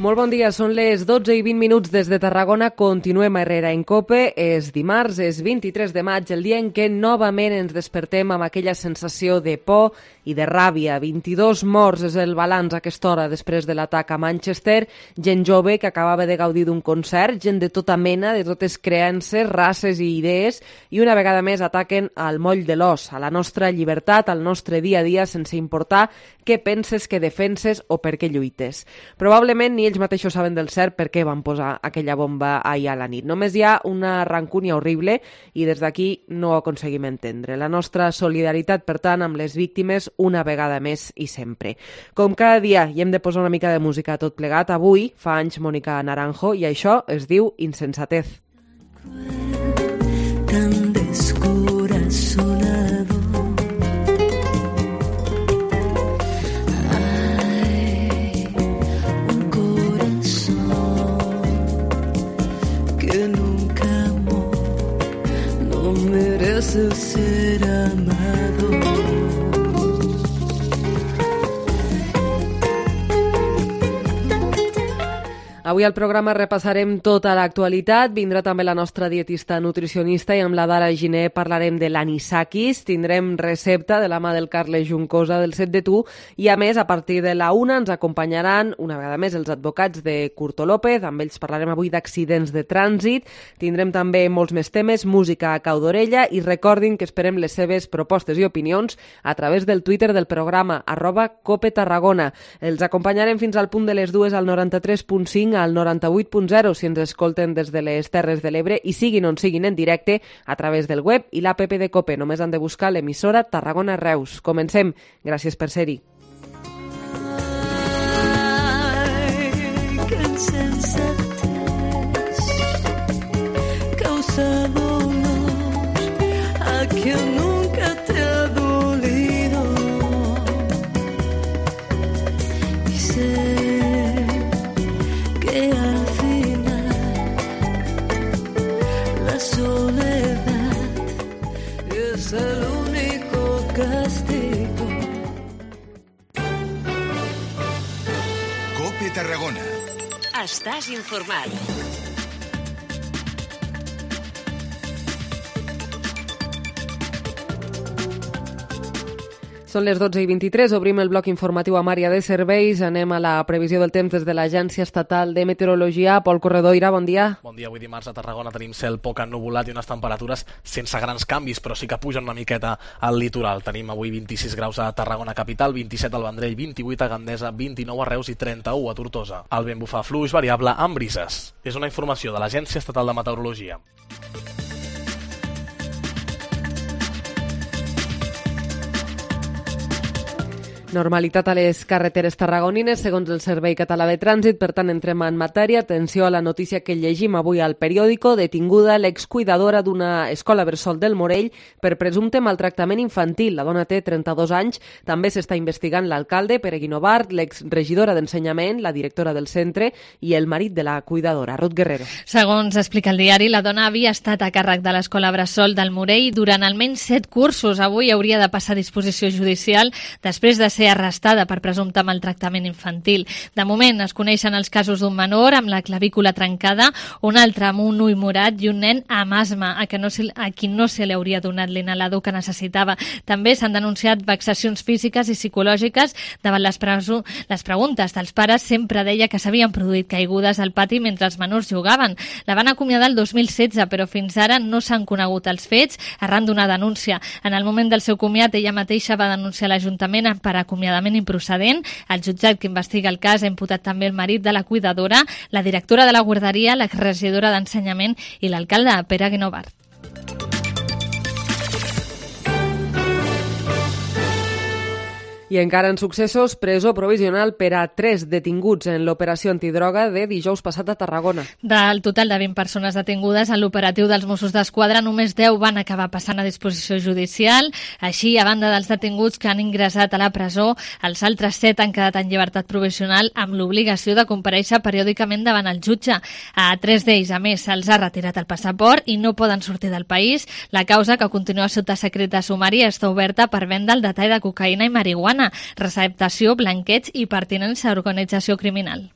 Molt bon dia, són les 12:20 des de Tarragona. Continuem a Herrera en Cope. És dimarts, és 23 de maig, el dia en què novament ens despertem amb aquella sensació de por i de ràbia. 22 morts és el balanç a aquesta hora després de l'atac a Manchester. Gent jove que acabava de gaudir d'un concert, gent de tota mena, de totes creences, races i idees, i una vegada més ataquen al moll de l'os, a la nostra llibertat, al nostre dia a dia, sense importar què penses, què defenses o per què lluites. Probablement ni ells mateixos saben del cert per què van posar aquella bomba ahir a la nit. Només hi ha una rancúnia horrible i des d'aquí no ho aconseguim entendre. La nostra solidaritat, per tant, amb les víctimes una vegada més i sempre. Com cada dia hi hem de posar una mica de música a tot plegat, avui fa anys Mónica Naranjo i això es diu Insensatez. Tan descorazonado. Merece ser amado. Avui al programa repassarem tota l'actualitat, vindrà també la nostra dietista nutricionista i amb la Dara Giner parlarem de l'anisakis, tindrem recepta de la mà del Carles Juncosa del Set de Tu i a més a partir de la 1 ens acompanyaran una vegada més els advocats de Curto López, amb ells parlarem avui d'accidents de trànsit, tindrem també molts més temes, música a cau d'orella i recordin que esperem les seves propostes i opinions a través del Twitter del programa @CopeTarragona. Els acompanyarem fins al punt de les 2 al 93.5 al 98.0 si ens escolten des de les Terres de l'Ebre i siguin on siguin en directe a través del web i l'app de Cope. Només han de buscar l'emissora Tarragona Reus. Comencem. Gràcies per ser-hi. Que insensatez causa dolor a quien nunca te ha dolido y sé que al final la soledad es el único castigo. Cope Tarragona. Estàs informat. Són les 12:23, obrim el bloc informatiu amb àrea de serveis, anem a la previsió del temps des de l'Agència Estatal de Meteorologia. Pol Corredoira, bon dia. Bon dia, avui dimarts a Tarragona tenim cel poc ennuvolat i unes temperatures sense grans canvis, però sí que pugen una miqueta al litoral. Tenim avui 26 graus a Tarragona capital, 27 al Vendrell, 28 a Gandesa, 29 a Reus i 31 a Tortosa. El vent bufa fluix variable amb brises. És una informació de l'Agència Estatal de Meteorologia. Normalitat a les carreteres tarragonines, segons el Servei Català de Trànsit. Per tant, entrem en matèria. Atenció a la notícia que llegim avui al periòdico. Detinguda l'excuidadora d'una escola bressol del Morell per presumpte maltractament infantil. La dona té 32 anys. També s'està investigant l'alcalde, Pere Guinovart, l'exregidora d'Ensenyament, la directora del centre i el marit de la cuidadora, Ruth Guerrero. Segons explica el diari, la dona havia estat a càrrec de l'escola bressol del Morell durant almenys 7 cursos. Avui hauria de passar a disposició judicial després de ser arrestada per presumpte maltractament infantil. De moment es coneixen els casos d'un menor amb la clavícula trencada, un altre amb un ull morat i un nen amb asma a qui no se li hauria donat l'inhalador que necessitava. També s'han denunciat vexacions físiques i psicològiques davant les preguntes dels pares. Sempre deia que s'havien produït caigudes al pati mentre els menors jugaven. La van acomiadar el 2016, però fins ara no s'han conegut els fets arran d'una denúncia. En el moment del seu comiat, ella mateixa va denunciar l'Ajuntament per acomiadament improcedent. El jutjat que investiga el cas ha imputat també el marit de la cuidadora, la directora de la guarderia, la regidora d'Ensenyament i l'alcalde Pere Guinovart. I encara en successos, presó provisional per a 3 detinguts en l'operació antidroga de dijous passat a Tarragona. Del total de 20 persones detingudes en l'operatiu dels Mossos d'Esquadra, només 10 van acabar passant a disposició judicial. Així, a banda dels detinguts que han ingressat a la presó, els altres 7 han quedat en llibertat provisional amb l'obligació de comparèixer periòdicament davant el jutge. A 3 d'ells, a més, se'ls ha retirat el passaport i no poden sortir del país. La causa, que continua sota secret de sumari, està oberta per venda el detall de cocaïna i marihuana, receptació, blanqueig i pertinença a organització criminal.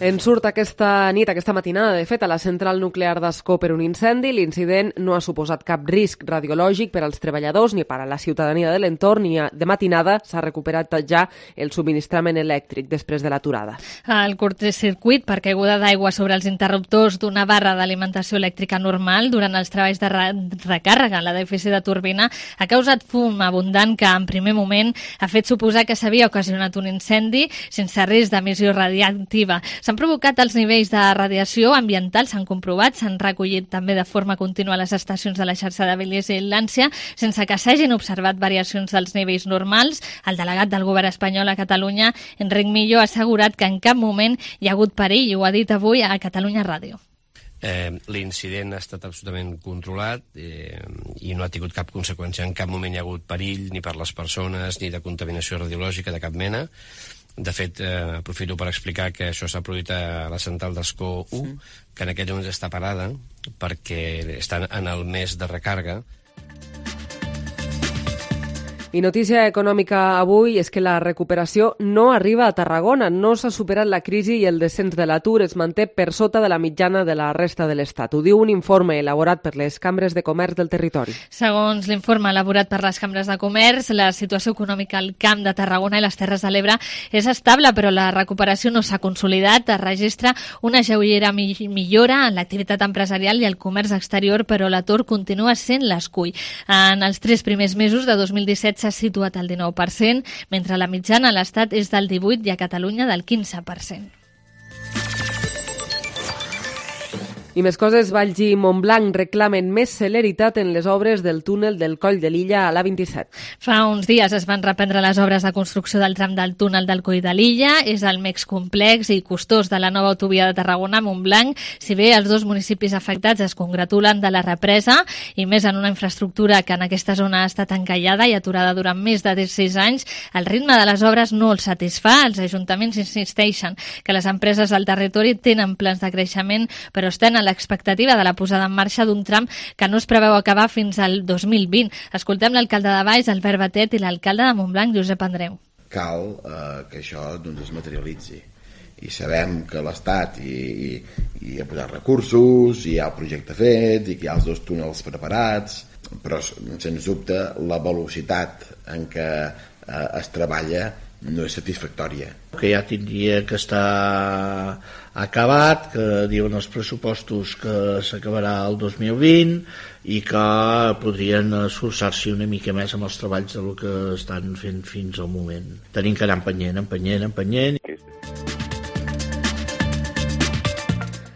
En surt aquesta nit, aquesta matinada, de fet, a la central nuclear d'Ascó per un incendi. L'incident no ha suposat cap risc radiològic per als treballadors ni per a la ciutadania de l'entorn, ni de matinada s'ha recuperat ja el subministrament elèctric després de l'aturada. El curtcircuit per caiguda d'aigua sobre els interruptors d'una barra d'alimentació elèctrica normal durant els treballs de recàrrega en l'edifici de turbina ha causat fum abundant que, en primer moment, ha fet suposar que s'havia ocasionat un incendi sense risc d'emissió radiactiva. S'han provocat els nivells de radiació ambiental, s'han comprovat, s'han recollit també de forma contínua a les estacions de la xarxa de vigilància, sense que s'hagin observat variacions dels nivells normals. El delegat del govern espanyol a Catalunya, Enric Millo, ha assegurat que en cap moment hi ha hagut perill, i ho ha dit avui a Catalunya Ràdio. L'incident ha estat absolutament controlat i no ha tingut cap conseqüència. En cap moment hi ha hagut perill ni per les persones ni de contaminació radiològica de cap mena. De fet, aprofito per explicar que això s'ha produït a la central d'Ascó 1, que en aquests moments està parada perquè estan en el mes de recàrrega. I notícia econòmica avui és que la recuperació no arriba a Tarragona. No s'ha superat la crisi i el descens de l'atur es manté per sota de la mitjana de la resta de l'Estat. Ho diu un informe elaborat per les cambres de comerç del territori. Segons l'informe elaborat per les cambres de comerç, la situació econòmica al Camp de Tarragona i les Terres de l'Ebre és estable, però la recuperació no s'ha consolidat. Es registra una lleugera millora en l'activitat empresarial i el comerç exterior, però l'atur continua sent l'escull. En els 3 primers mesos de 2017 s'ha situat al 19%, mentre la mitjana a l'Estat és del 18% i a Catalunya del 15%. I més coses, Valls i Montblanc reclamen més celeritat en les obres del túnel del Coll de l'Illa a l'A27. Fa uns dies es van reprendre les obres de construcció del tram del túnel del Coll de l'Illa. És el més complex i costós de la nova autovia de Tarragona-Montblanc. Si bé els 2 municipis afectats es congratulen de la represa, i més en una infraestructura que en aquesta zona ha estat encallada i aturada durant més de 16 anys, el ritme de les obres no els satisfà. Els ajuntaments insisteixen que les empreses del territori tenen plans de creixement, però estan a l'expectativa de la posada en marxa d'un tram que no es preveu acabar fins al 2020. Escoltem l'alcalde de Valls, Albert Batet, i l'alcalde de Montblanc, Josep Andreu. Cal que això es materialitzi. I sabem que l'Estat hi ha posat recursos, hi ha el projecte fet, i que hi ha els 2 túnels preparats, però, sens dubte, la velocitat en què es treballa no és satisfactòria. Que ja tindria que estar acabat, que diuen els pressupostos que s'acabarà el 2020 i que podrien esforçar-s'hi una mica més amb els treballs del que estan fent fins al moment. Tenim que anar empenyent.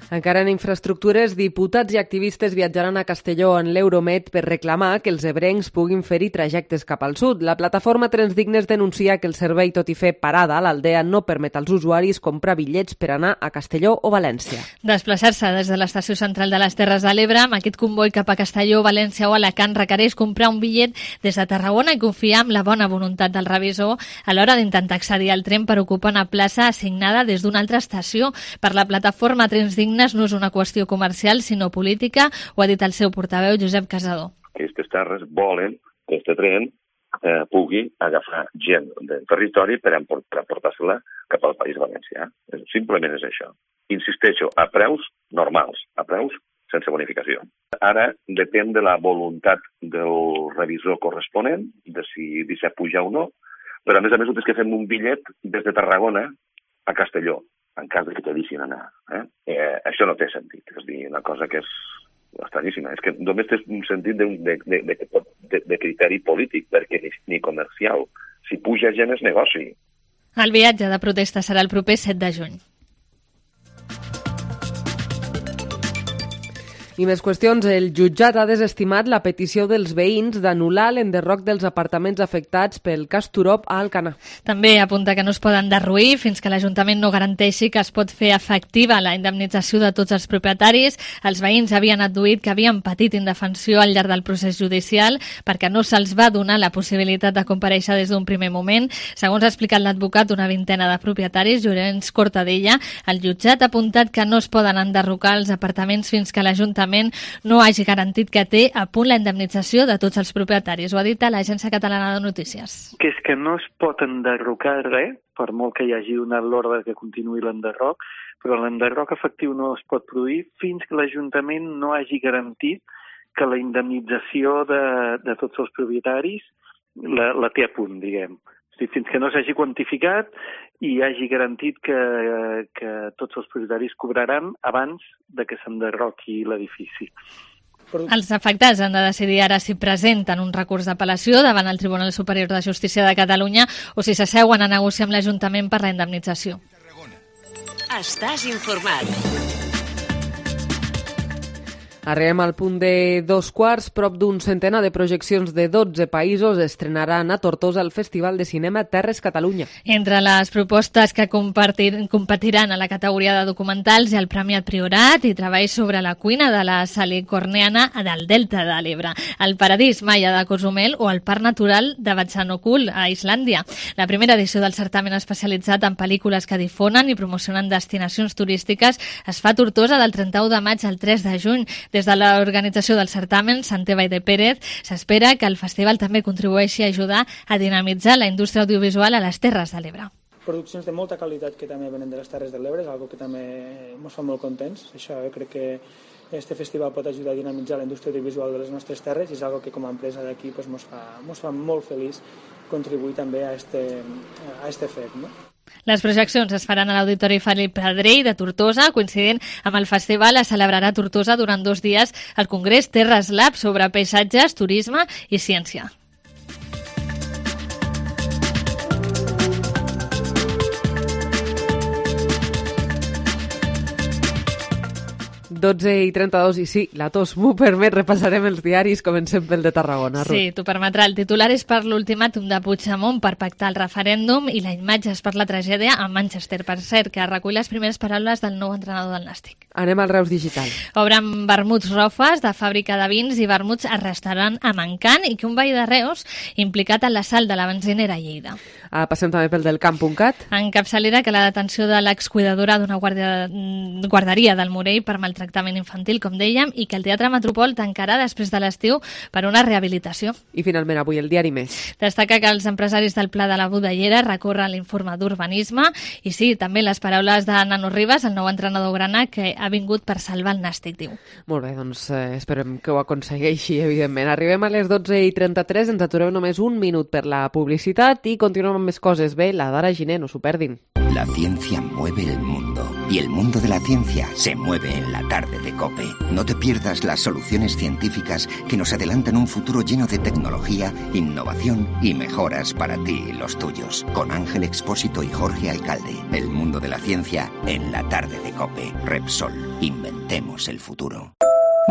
Encara en infraestructures, diputats i activistes viatjaran a Castelló en l'Euromed per reclamar que els ebrencs puguin fer-hi trajectes cap al sud. La plataforma Trens Dignes denuncia que el servei, tot i fer parada a l'Aldea, no permet als usuaris comprar bitllets per anar a Castelló o València. Desplaçar-se des de l'estació central de les Terres de l'Ebre amb aquest comboi cap a Castelló, València o Alacant requereix comprar un bitllet des de Tarragona i confiar en la bona voluntat del revisor a l'hora d'intentar accedir al tren per ocupar una plaça assignada des d'una altra estació. Per la plataforma Trens Dignes no és una qüestió comercial, sinó política, ho ha dit el seu portaveu, Josep Casador. Aquestes terres volen que aquest tren pugui agafar gent del territori per portar-se-la cap al País Valencià. Simplement és això. Insisteixo, a preus normals, a preus sense bonificació. Ara depèn de la voluntat del revisor corresponent, de si deixa pujar o no, però a més és que fem un bitllet des de Tarragona a Castelló, en cas que te deixin anar. Això no té sentit, és a dir, una cosa que és estranyíssima. És que només té un sentit de criteri polític, perquè ni comercial. Si puja gent és negoci. El viatge de protesta serà el proper 7 de juny. I més qüestions. El jutjat ha desestimat la petició dels veïns d'anul·lar l'enderroc dels apartaments afectats pel cas Turop a Alcanar. També apunta que no es poden derruir fins que l'Ajuntament no garanteixi que es pot fer efectiva la indemnització de tots els propietaris. Els veïns havien adduït que havien patit indefensió al llarg del procés judicial perquè no se'ls va donar la possibilitat de comparèixer des d'un primer moment. Segons ha explicat l'advocat, una vintena de propietaris, Llorenç Cortadella, el jutjat ha apuntat que no es poden enderrocar els apartaments fins que l'Ajuntament l'Ajuntament no hagi garantit que té a punt la indemnització de tots els propietaris. Ho ha dit a l'Agència Catalana de Notícies. Que és que no es pot enderrocar res, per molt que hi hagi donat l'ordre que continuï l'enderroc, però l'enderroc efectiu no es pot produir fins que l'Ajuntament no hagi garantit que la indemnització de tots els propietaris la té a punt, diguem. O sigui, fins que no s'hagi quantificat i hagi garantit que tots els propietaris cobraran abans de que s'enderroqui l'edifici. Els afectats han de decidir ara si presenten un recurs d'apel·lació davant el Tribunal Superior de Justícia de Catalunya o si s'asseuen a negociar amb l'Ajuntament per la indemnització. Estàs informat. Arribem al punt de 2:15. Prop d'un centenar de projeccions de 12 països estrenaran a Tortosa el Festival de Cinema Terres Catalunya. Entre les propostes que competiran a la categoria de documentals hi ha el Premiat Priorat i treballs sobre la cuina de la salicorniana del Delta de l'Ebre, el Paradís Maia de Cozumel o el Parc Natural de Vatsanokul a Islàndia. La primera edició del certamen especialitzat en pel·lícules que difonen i promocionen destinacions turístiques es fa a Tortosa del 31 de maig al 3 de juny. Des de l'organització del certamen, Santeva i de Pérez, s'espera que el festival també contribueixi a ajudar a dinamitzar la indústria audiovisual a les Terres de l'Ebre. Produccions de molta qualitat que també venen de les Terres de l'Ebre, és una que també ens fa molt contents. Això crec que este festival pot ajudar a dinamitzar la indústria audiovisual de les nostres terres i és una que com a empresa d'aquí ens fa molt feliç contribuir també a este fet, no? Les projeccions es faran a l'Auditori Felip Pedrell de Tortosa. Coincidint amb el festival, es celebrarà a Tortosa durant 2 dies el Congrés Terres Lab sobre paisatges, turisme i ciència. i 32, i sí, la tos m'ho permet, repassarem els diaris, comencem pel de Tarragona. Sí, t'ho permetrà. El titular és per l'ultimàtum de Puigdemont per pactar el referèndum i la imatge és per la tragèdia a Manchester, per cert, que recull les primeres paraules del nou entrenador del Nàstic. Anem al Reus Digital. Obren vermuts Rofes de fàbrica de vins i vermuts a restaurant a Mancant i que un veí de Reus implicat en l'assalt de la benzinera a Lleida. Passem també pel del Camp.cat. En capçalera que la detenció de l'excuidadora d'una guarderia del Morell per maltractament infantil, com dèiem, i que el Teatre Metropol tancarà després de l'estiu per una rehabilitació. I finalment avui el diari Més. Destaca que els empresaris del Pla de la Budellera recorren l'informe d'urbanisme i sí, també les paraules de Nano Ribas, el nou entrenador grana, que ha vingut per salvar el Nàstic, diu. Molt bé, doncs esperem que ho aconsegueixi, evidentment. Arribem a les 12:33, ens atureu només un minut per la publicitat i continuem amb més coses. Bé, la Dara Giner, no s'ho perdin. La ciencia mueve el mundo y el mundo de la ciencia se mueve en la tarde de COPE. No te pierdas las soluciones científicas que nos adelantan un futuro lleno de tecnología, innovación y mejoras para ti y los tuyos. Con Ángel Expósito y Jorge Alcalde. El mundo de la ciencia en la tarde de COPE. Repsol. Inventemos el futuro.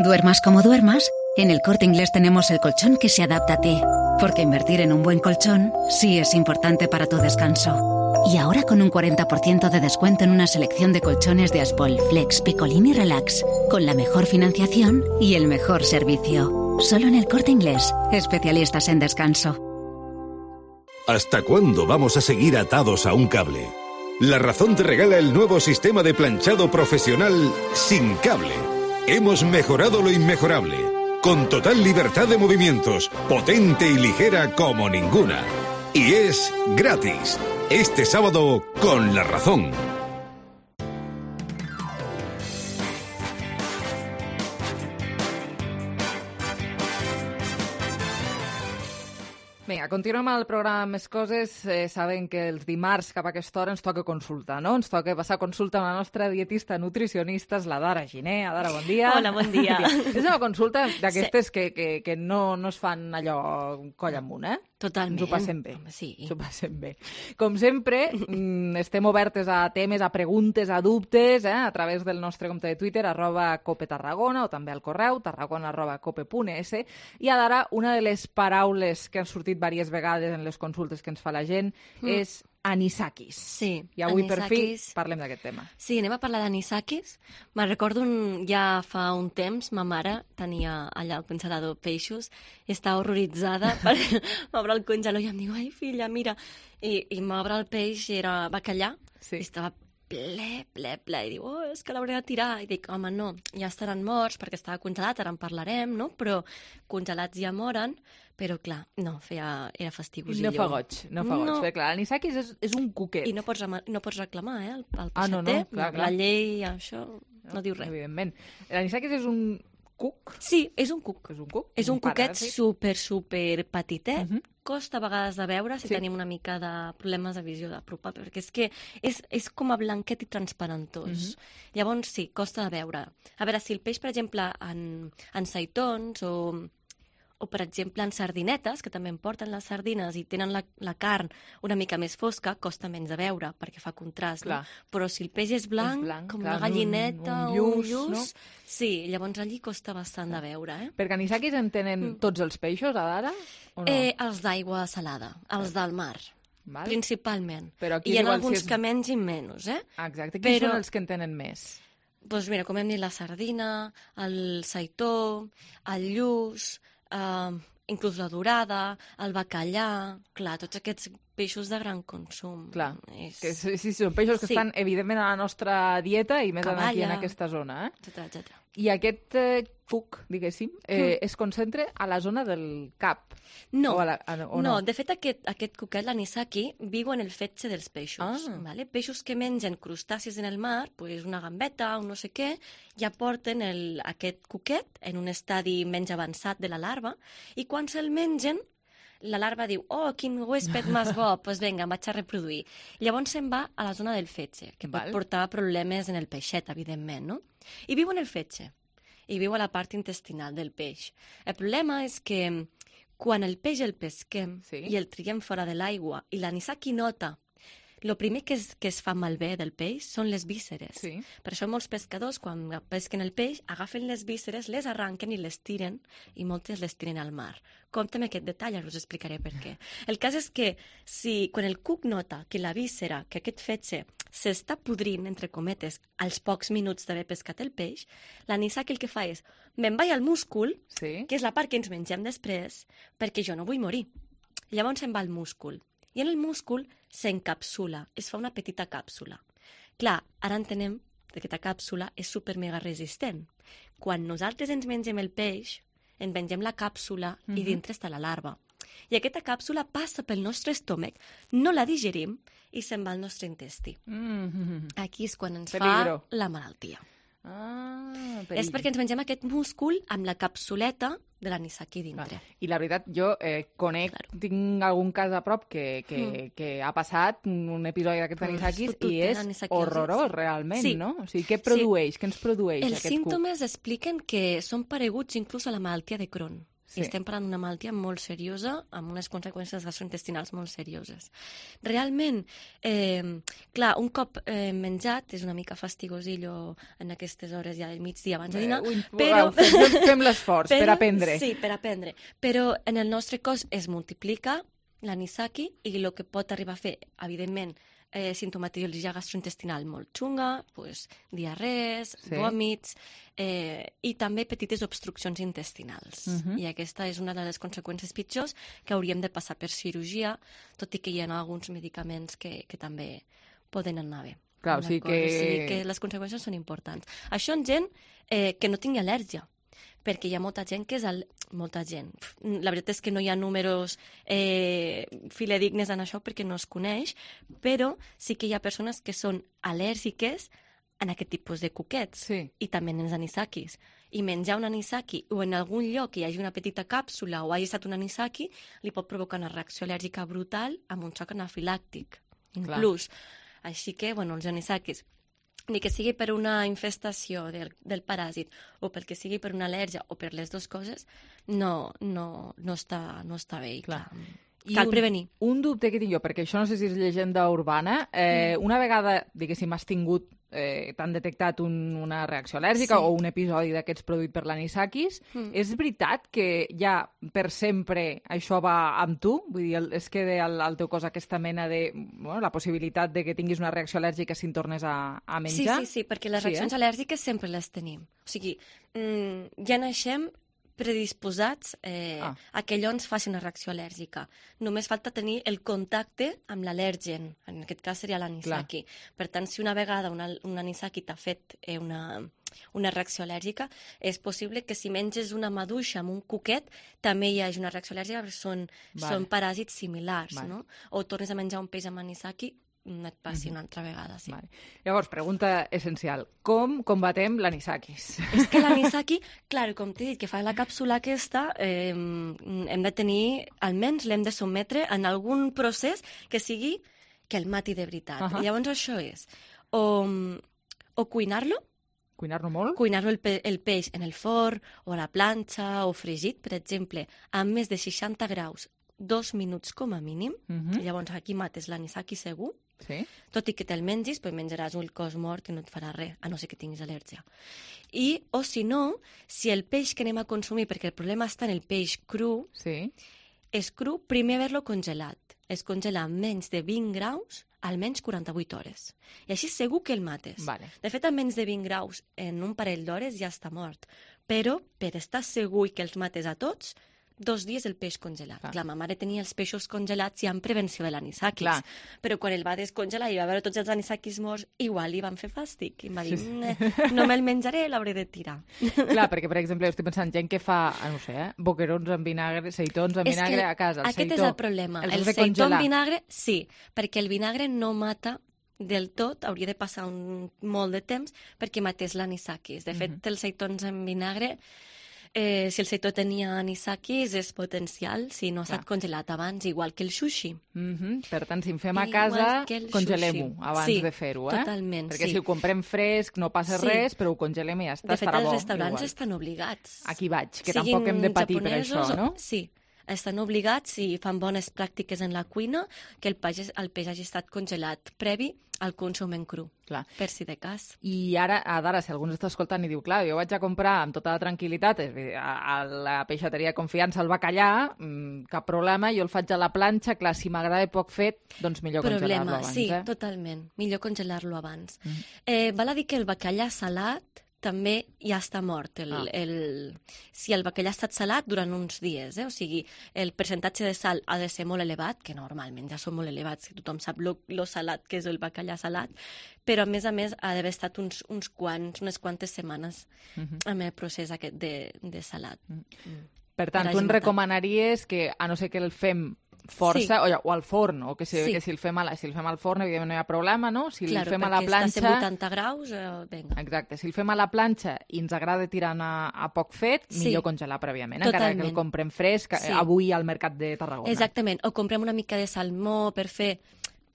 Duermas como duermas, en El Corte Inglés tenemos el colchón que se adapta a ti. Porque invertir en un buen colchón sí es importante para tu descanso. Y ahora con un 40% de descuento en una selección de colchones de Aspol, Flex, Picolín y Relax, con la mejor financiación y el mejor servicio. Solo en El Corte Inglés, especialistas en descanso. ¿Hasta cuándo vamos a seguir atados a un cable? La Razón te regala el nuevo sistema de planchado profesional sin cable. Hemos mejorado lo inmejorable, con total libertad de movimientos, potente y ligera como ninguna. Y es gratis. Este sábado con La Razón. Vinga, continuem el programa amb més coses. Saben que els dimarts cap a aquesta hora ens toca consulta, no? Ens toca passar consulta amb la nostra dietista nutricionista, la Dara Giner. Dara, bon dia. Hola, bon dia. És una consulta d'aquestes que no es fan allò coll amunt, eh? Totalment. Ens ho passem bé. Sí. Ens ho passem bé. Com sempre, estem obertes a temes, a preguntes, a dubtes, a través del nostre compte de Twitter, @copetarragona, o també al correu, tarragona@cope.es. I ara, una de les paraules que han sortit diverses vegades en les consultes que ens fa la gent és anisakis. Sí, I avui, anisakis. per fi, parlem d'aquest tema. Sí, anem a parlar d'anisakis. Me'n recordo ja fa un temps, ma mare tenia allà el congelador peixos i estava horroritzada per m'obre el congelador i em diu, ai, filla, mira. I m'obre el peix i era bacallà i estava ple, i diu, és que l'hauré de tirar. I dic, home, no, ja estaran morts perquè estava congelat, ara en parlarem, no? Però congelats ja moren, però clar, no, era fastigosillo. No fa goig, perquè clar, l'anisakis és un cuquet. I no pots reclamar, el Ah, no, peixater, clar. la llei, això, no diu res. Evidentment. L'anisakis és un cuc? Sí, és un cuc. És un cuc? És un cuquet paràsit. super petitet, costa a vegades de veure si tenim una mica de problemes de visió d'apropar, perquè és que és com a blanquet i transparentós. Llavors, sí, costa de veure. A veure, si el peix, per exemple, en seitons o per exemple, en sardinetes, que també en porten les sardines i tenen la carn una mica més fosca, costa menys de veure, perquè fa contrast, no? Però si el peix és blanc com una gallineta o un lluç, no? Sí, llavors allí costa bastant de veure, Perquè anisakis en tenen tots els peixos, ara? O no? Els d'aigua salada, els del mar. Val. Principalment. Però aquí hi ha igual alguns si és... que menys i menys, Exacte. Quins són els que en tenen més? Doncs mira, com hem dit, la sardina, el seitó, el lluç, inclús la dorada, el bacallà, clar, tots aquests peixos de gran consum. Clar, que sí, són peixos que estan evidentment a la nostra dieta i més aquí en aquesta zona. Etcètera. I aquest cuc, diguéssim, es concentra a la zona del cap. No, o no? De fet aquest cuquet, l'anisaki, viu en el fetge dels peixos. Vale? Peixos que mengen crustacis en el mar, pues una gambeta o no sé què, ja porten aquest cuquet en un estadi menys avançat de la larva, i quan se'l mengen, la larva diu, oh, quin huésped més bo, doncs vinga, em vaig a reproduir. Llavors se'n va a la zona del fetge, que pot portar problemes en el peixet, evidentment, no? I viu en el fetge, i viu a la part intestinal del peix. El problema és que quan el peix el pesquem i el triem fora de l'aigua i l'anisaki nota, el primer que es fa malbé del peix són les vísceres. Per això molts pescadors, quan pesquen el peix, agafen les vísceres, les arranquen i les tiren, i moltes les tiren al mar. Compte amb aquest detall, ara us explicaré per què. El cas és que quan el cuc nota que la víscera, que aquest fetge, s'està podrint, entre cometes, als pocs minuts d'haver pescat el peix, l'anisaki el que fa és, me'n vaig al múscul, que és la part que ens mengem després, perquè jo no vull morir. Llavors se'n va al múscul. I en el múscul s'encapsula, es fa una petita càpsula. Clar, ara entenem que aquesta càpsula és super mega resistent. Quan nosaltres ens mengem el peix, ens mengem la càpsula i dintre està la larva. I aquesta càpsula passa pel nostre estómac, no la digerim i se'n va al nostre intestí. Aquí és quan ens fa la malaltia. És perquè ens mengem aquest múscul amb la capsuleta de l'anisaki dintre. I la veritat, jo tinc algun cas a prop que ha passat un episodi d'aquests anisakis i és horrorós, realment, no? O sigui, què produeix? Què ens produeix aquest cuc? Els símptomes expliquen que són pareguts inclús a la malaltia de Crohn. I estem parlant d'una malaltia molt seriosa, amb unes conseqüències gastrointestinals molt serioses. Realment, clar, un cop menjat, és una mica fastigosillo en aquestes hores ja del migdia abans de dinar, però... Fem l'esforç per aprendre. Sí, per aprendre. Però en el nostre cos es multiplica l'anisaki i el que pot arribar a fer, evidentment, sintomatologia gastrointestinal molt xunga, diarrees, vòmits, i també petites obstruccions intestinals. I aquesta és una de les conseqüències pitjors que hauríem de passar per cirurgia, tot i que hi ha alguns medicaments que també poden anar bé. Clar, o sigui que les conseqüències són importants. Això en gent que no tingui al·lèrgia, perquè hi ha molta gent que és... Molta gent. La veritat és que no hi ha números fidedignes en això perquè no es coneix, però sí que hi ha persones que són al·lèrgiques en aquest tipus de cuquets i també en els anisakis. I menjar un anisaki o en algun lloc que hi hagi una petita càpsula o hagi estat un anisaki li pot provocar una reacció al·lèrgica brutal amb un xoc anafilàctic, inclús. Així que, els anisakis, ni que sigui per una infestació del paràsit o perquè sigui per una al·lèrgia o per les dues coses, no està bé. Cal prevenir. Un dubte que tinc jo, perquè això no sé si és llegenda urbana, una vegada, diguéssim, has tingut, t'han detectat una reacció al·lèrgica o un episodi d'aquests produït per l'anisakis, és veritat que ja per sempre això va amb tu? Vull dir, es queda al teu cos aquesta mena de... la possibilitat de que tinguis una reacció al·lèrgica si en tornes a menjar? Sí, perquè les reaccions al·lèrgiques sempre les tenim. O sigui, ja naixem predisposats a que allò ens faci una reacció al·lèrgica. Només falta tenir el contacte amb l'al·lèrgen, en aquest cas seria l'anisaki. Per tant, si una vegada un anisaki t'ha fet una reacció al·lèrgica, és possible que si menges una maduixa amb un cuquet també hi hagi una reacció al·lèrgica, perquè són paràsits similars, no? O tornes a menjar un peix amb anisaki, no et passi una altra vegada, sí. Llavors, pregunta essencial. Com combatem l'anisakis? És que l'anisaki, clar, com t'he dit, que fa la càpsula aquesta, hem de tenir, almenys l'hem de sotmetre en algun procés que sigui que el mati de veritat. Llavors això és o cuinar-lo, cuinar-lo molt? Cuinar-lo el peix en el forn, o a la planxa, o fregit, per exemple, a més de 60 graus, 2 minuts com a mínim. Llavors aquí mates l'anisaki segur. Tot i que te'l mengis, pues menjaràs un cos mort i no et farà res, a no ser que tinguis al·lèrgia. O si no, si el peix que anem a consumir, perquè el problema està en el peix cru, és cru, primer haver-lo congelat. Es congela a menys de 20 graus, almenys 48 hores. I així segur que el mates. De fet, a menys de 20 graus, en un parell d'hores ja està mort. Però, per estar segur que els mates a tots, 2 dies el peix congelat. Clar, ma mare tenia els peixos congelats ja en prevenció de l'anisakis. Però quan el va descongelar i va veure tots els anisakis morts, igual li van fer fàstic. I em va dir, no me'l menjaré, l'hauré de tirar. Clar, perquè, per exemple, estic pensant, gent que fa, no sé, boquerons amb vinagre, seitons amb vinagre a casa. Aquest és el problema. El seitó amb vinagre, sí, perquè el vinagre no mata del tot, hauria de passar molt de temps perquè matés l'anisakis. De fet, els seitons amb vinagre, si el seitó tenia anisakis, és potencial si no ha estat congelat abans, igual que el sushi. Per tant, si en fem a casa, congelem-ho abans de fer-ho. Totalment, perquè si ho comprem fresc no passa res, però ho congelem i ja està, estarà bo. De fet, els restaurants estan obligats. Aquí vaig, que tampoc hem de patir per això, no? Sí, estan obligats, si fan bones pràctiques en la cuina, que el peix hagi estat congelat previ al consum en cru, per si de cas. I ara, si algú ens està escoltant i diu, clar, jo vaig a comprar amb tota la tranquil·litat a la peixateria de confiança el bacallà, cap problema, jo el faig a la planxa, clar, si m'agrada poc fet, doncs millor congelar-lo abans. Sí, totalment, millor congelar-lo abans. Val a dir que el bacallà salat també ja està mort. Si el bacallà ha estat salat durant uns dies, o sigui, el percentatge de sal ha de ser molt elevat, que normalment ja són molt elevats, que tothom sap lo salat que és el bacallà salat, però a més ha d'haver estat unes quantes setmanes amb el procés aquest de salat. Per tant, tu ens recomanaries que, a no ser que el fem força, o al forn, o que si el fem al forn, evidentment no hi ha problema, no? Si el fem a la planxa... Clar, perquè està a 80 graus, vinga. Exacte, si el fem a la planxa i ens agrada tirar a poc fet, millor congelar prèviament, encara que el comprem fresc avui al mercat de Tarragona. Exactament, o comprem una mica de salmó per fer...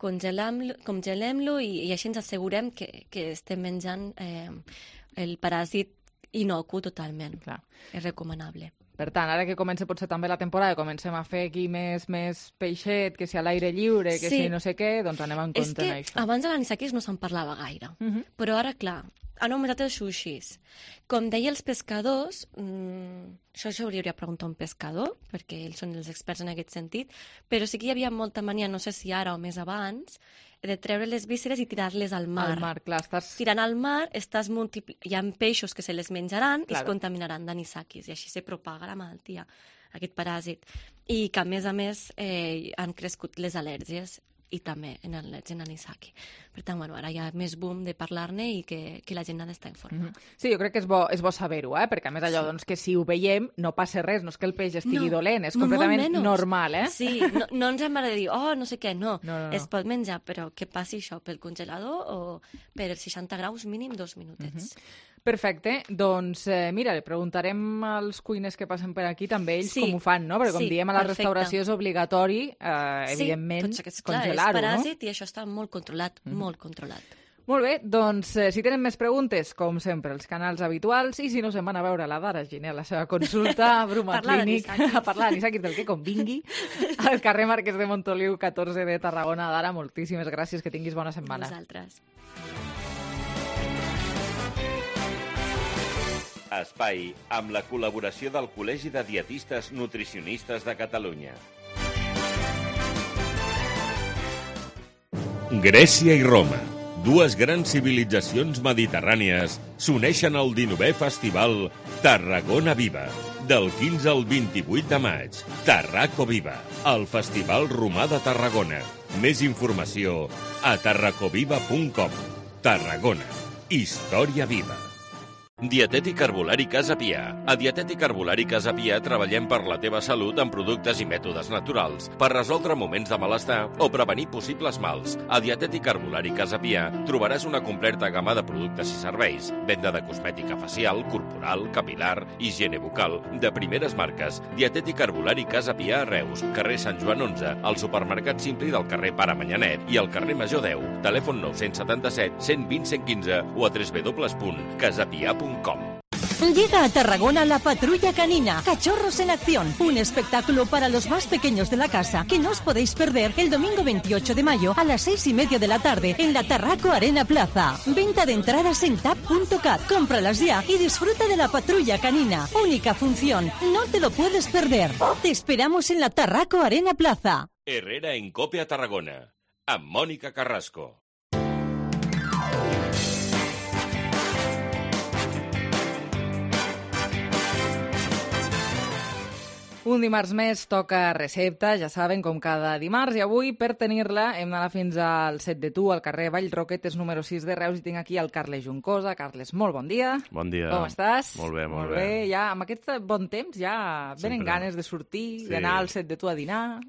Congelem-lo i així ens assegurem que estem menjant el paràsit inocu totalment. És recomanable. Per tant, ara que comença potser també la temporada, comencem a fer aquí més peixet, que si a l'aire lliure, que si no sé què, doncs anem en compte amb això. És que abans de l'anisakis no se'n parlava gaire, però ara, clar, han augmentat els sushis. Com deia els pescadors, això hauria de preguntar a un pescador, perquè ells són els experts en aquest sentit, però sí que hi havia molta mania, no sé si ara o més abans, de treure les vísceres i tirar-les al mar. Al mar, clar, estàs... Tirant al mar, hi ha peixos que se les menjaran i es contaminaran d'anisakis, i així se propaga la malaltia, aquest paràsit. I que, a més, han crescut les al·lèrgies i també en anisaki. Per tant, ara hi ha més boom de parlar-ne i que la gent ha d'estar informada. Sí, jo crec que és bo saber-ho, perquè a més allò que si ho veiem no passa res, no és que el peix estigui dolent, és completament normal, Sí, no ens hem de dir, no sé què, no. Es pot menjar, però que passi això pel congelador o per 60 graus mínim 2 minutets. Perfecte, doncs mira, li preguntarem als cuiners que passen per aquí també ells com ho fan, no? Perquè com diem a la restauració és obligatori, evidentment, congelar-ho, és paràsit i això està molt controlat, molt controlat. Molt bé, doncs si tenen més preguntes, com sempre, els canals habituals, i si no se'n van a veure la Dara Giner a la seva consulta a Bruma Clínic, a parlar d'anisakis del que convingui, al carrer Marquès de Montoliu, 14 de Tarragona. Dara, moltíssimes gràcies, que tinguis bona setmana. Vosaltres. Espai amb la col·laboració del Col·legi de Dietistes Nutricionistes de Catalunya. Grècia i Roma. Dues grans civilitzacions mediterrànies s'uneixen al 19è Festival Tarragona Viva. Del 15 al 28 de maig, Tarraco Viva, el Festival Romà de Tarragona. Més informació a tarracoviva.com. Tarragona, història viva. Dietètic Herbolari Casa Pia. A Dietètic Herbolari Casa Pia treballem per la teva salut amb productes i mètodes naturals per resoldre moments de malestar o prevenir possibles mals. A Dietètic Herbolari Casa Pia trobaràs una completa gamma de productes i serveis. Venda de cosmètica facial, corporal, capilar, higiene bucal, de primeres marques. Dietètic Herbolari Casa Pia a Reus, carrer Sant Joan 11, al supermercat Simpli del carrer Pare Manyanet i al carrer Major 10. Telèfon 977 120 115 o a www.casapia.com. Llega a Tarragona la Patrulla Canina, Cachorros en Acción, un espectáculo para los más pequeños de la casa que no os podéis perder el domingo 28 de mayo a las 6:30 de la tarde en la Tarraco Arena Plaza. Venta de entradas en tap.cat. Cómpralas ya y disfruta de la Patrulla Canina. Única función, no te lo puedes perder. Te esperamos en la Tarraco Arena Plaza. Herrera en COPE a Tarragona, amb Mònica Carrasco. Un dimarts més toca recepta, ja saben, com cada dimarts, i avui, per tenir-la, hem d'anar fins al Set de Tu, al carrer Vallroquetes, número 6 de Reus, i tinc aquí el Carles Juncosa. Carles, molt bon dia. Bon dia. Com estàs? Molt bé, molt bé. Ja, amb aquest bon temps ja venen ganes de sortir, d'anar al Set de Tu a dinar.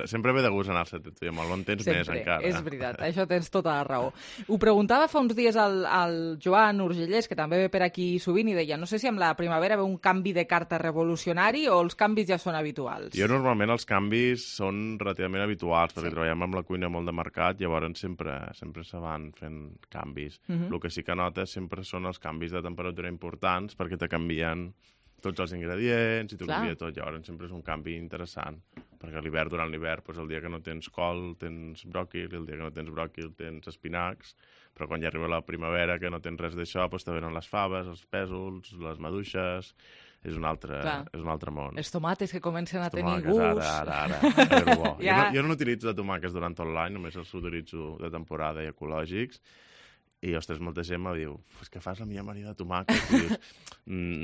Sempre ve de gust anar al Set de Tu, i amb el bon temps més encara. És veritat, això tens tota la raó. Ho preguntava fa uns dies al Joan Urgellès, que també ve per aquí sovint, i deia, no sé si amb la primavera ve un canvi de carta revolucionari o els canvis ja són habituals. Jo normalment els canvis són relativament habituals, perquè treballem amb la cuina molt de mercat, llavors sempre se van fent canvis. El que sí que notes sempre són els canvis de temperatura importants, perquè te canvien tots els ingredients i t'ho canvia tot. Llavors sempre és un canvi interessant, perquè durant l'hivern, el dia que no tens col tens bròquil, el dia que no tens bròquil tens espinacs, però quan ja arriba la primavera que no tens res d'això, te venen les faves, els pèsols, les maduixes. És un altre món. Els tomàquets que comencen a tenir gust. Ara. Bo. Jo no utilitzo de tomàquets durant tot l'any, només els utilitzo de temporada i ecològics. I, ostres, molta gent me diu, és que fas la millor amanida de tomàquet. I dius,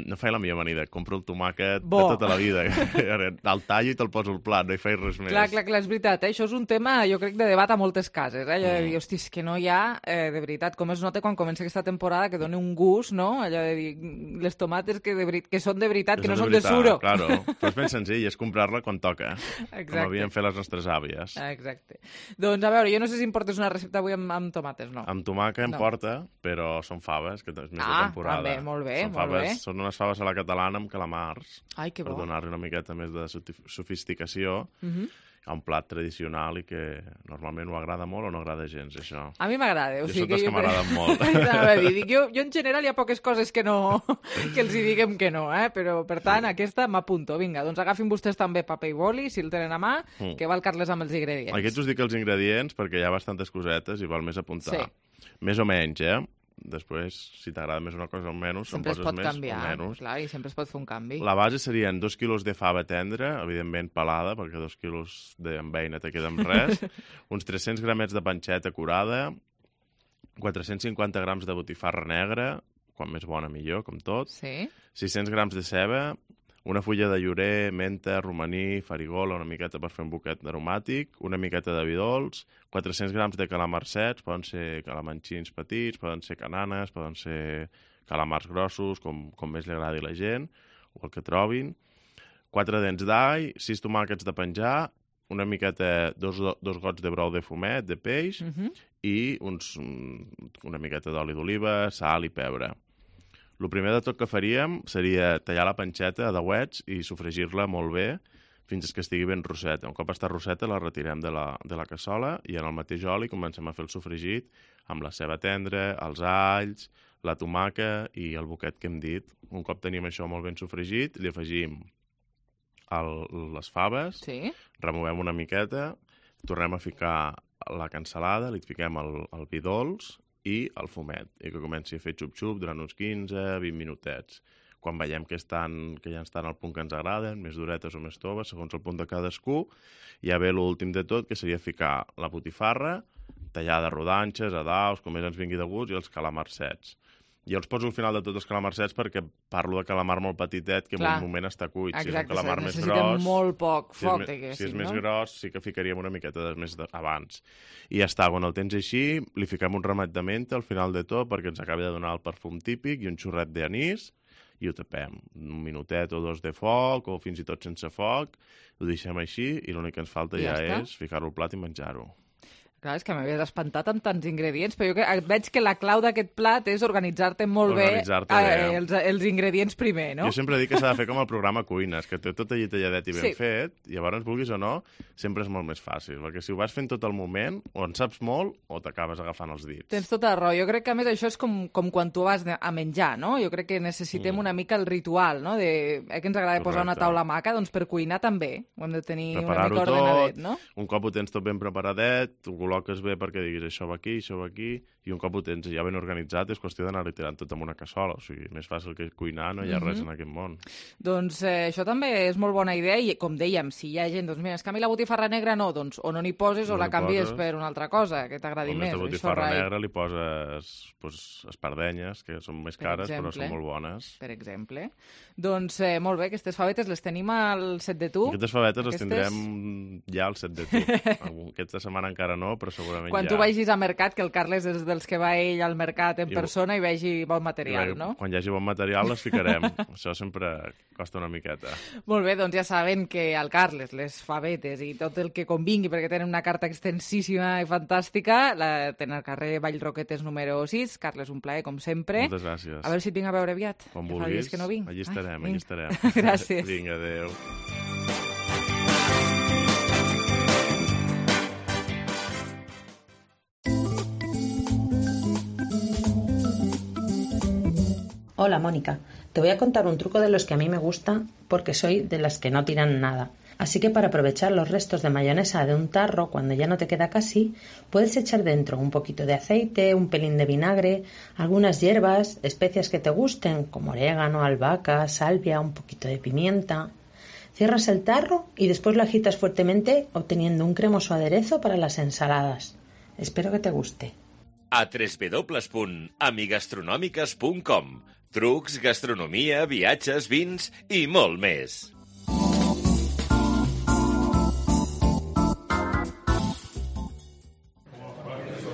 no faig la millor amanida, compro el tomàquet de tota la vida. El tallo i te'l poso al plat, no hi faig res més. Clar, és veritat. Això és un tema, jo crec, de debat a moltes cases. Allò de dir, hosti, és que no hi ha, de veritat, com es nota quan comença aquesta temporada, que dona un gust, no? Allò de dir, les tomates que són de veritat, que no són de suro. Claro, però és ben senzill, és comprar-la quan toca. Com havien fet les nostres àvies. Exacte. Doncs, a veure, jo no sé si em portes una recepta avui amb tomates, no? Amb tomàquet però són faves, que és més de temporada. També, molt bé. Són unes faves a la catalana amb calamars. Ai, que bo. Per donar-li una miqueta més de sofisticació a un plat tradicional i que normalment ho agrada molt o no agrada gens, això. A mi m'agrada. Jo soc dels que m'agraden molt. Jo en general hi ha poques coses que els hi diguem que no, però per tant aquesta m'apunto. Vinga, doncs agafin vostès també paper i boli, si el tenen a mà, que va el Carles amb els ingredients. Aquests us dic els ingredients perquè hi ha bastantes cosetes i val més apuntar. Sí. Més o menys, Després, si t'agrada més una cosa o menys, sempre en poses més canviar, o menys. Clar, i sempre es pot fer un canvi. La base serien 2 quilos de fava tendra, evidentment pelada, perquè 2 quilos d'enveina te queda amb res, uns 300 gramets de panceta curada, 450 grams de botifarra negra, quan més bona millor, com tot, 600 grams de ceba, una fulla de llorer, menta, romaní, farigola, una miqueta per fer un buquet aromàtic, una miqueta de vi dolç, 400 grams de calamars secs, poden ser calamanxins petits, poden ser cananes, poden ser calamars grossos, com més li agradi a la gent, o el que trobin, 4 dents d'all, 6 tomàquets de penjar, una miqueta, dos gots de brou de fumet, de peix, i una miqueta d'oli d'oliva, sal i pebre. El primer de tot que faríem seria tallar la panceta a dauets i sofregir-la molt bé fins que estigui ben rosseta. Un cop està rosseta la retirem de la cassola i en el mateix oli comencem a fer el sofregit amb la ceba tendra, els alls, la tomaca i el buquet que hem dit. Un cop tenim això molt ben sofregit, li afegim les faves, removem una miqueta, tornem a ficar la cansalada, li fiquem el vi dolç i el fumet, i que comenci a fer xup-xup durant uns 15-20 minutets. Quan veiem que ja estan al punt que ens agraden, més duretes o més toves, segons el punt de cadascú, ja ve l'últim de tot, que seria ficar la botifarra, tallada rodanxes, a daus, com més ens vingui de gust, i els calamars sets. Jo els poso al final de tots els calamars sets perquè parlo de calamar molt petitet que en un moment està cuit. Exacte, si és un calamar més necessita gros... molt poc foc, si és més gros, sí que ficaríem una miqueta més abans. I ja està, quan el tens així, li fiquem un ramet de menta al final de tot perquè ens acabi de donar el perfum típic i un xorret d'anís i ho tapem. Un minutet o dos de foc o fins i tot sense foc, ho deixem així i l'únic que ens falta ja és ficar-ho al plat i menjar-ho. Clar, és que m'havies espantat amb tants ingredients, però jo veig que la clau d'aquest plat és organitzar-te molt bé els ingredients primer, no? Jo sempre dic que s'ha de fer com el programa Cuines, que té tot allí talladet i ben fet, i llavors, vulguis o no, sempre és molt més fàcil, perquè si ho vas fent tot el moment, o en saps molt o t'acabes agafant els dits. Tens tota la raó. Jo crec que, a més, això és com quan tu vas a menjar, no? Jo crec que necessitem una mica el ritual, no? Que ens agrada posar una taula maca, doncs per cuinar també. Ho hem de tenir una mica ordenadet, no? Un cop ho tens tot ben preparadet, col·loques bé perquè diguis això va aquí, i un cop ho tens ja ben organitzat és qüestió d'anar-li tirant tot en una cassola, o sigui, més fàcil que cuinar no hi ha res en aquest món. Doncs això també és molt bona idea i, com dèiem, si hi ha gent, doncs mira, és que a mi la botifarra negra no, doncs o no n'hi poses o la canvies per una altra cosa, que t'agradi més. A la botifarra negra li poses espardenyes, que són més cares però són molt bones. Per exemple. Doncs molt bé, aquestes favetes les tenim al set de tu. Aquestes favetes les tindrem ja al set de tu. Aquesta setmana encara no, però segurament quan tu vagis a mercat, que el Carles és dels que va ell al mercat en persona i vegi bon material, no? Quan hi hagi bon material les ficarem. Això sempre costa una miqueta. Molt bé, doncs ja saben que al Carles les favetes i tot el que convingui, perquè tenen una carta extensíssima i fantàstica, la tenen al carrer Vallroquetes número 6. Carles, un plaer, com sempre. Moltes gràcies. A veure si et vinc a veure aviat. Com vulguis. Que no vinc. Allí estarem, allí estarem. Gràcies. Vinga, adéu. Hola, Mónica. Te voy a contar un truco de los que a mí me gusta porque soy de las que no tiran nada. Así que para aprovechar los restos de mayonesa de un tarro cuando ya no te queda casi, puedes echar dentro un poquito de aceite, un pelín de vinagre, algunas hierbas, especias que te gusten, como orégano, albahaca, salvia, un poquito de pimienta. Cierras el tarro y después lo agitas fuertemente obteniendo un cremoso aderezo para las ensaladas. Espero que te guste. A www.amigastronòmiques.com. Trucs, gastronomia, viatges, vins i molt més.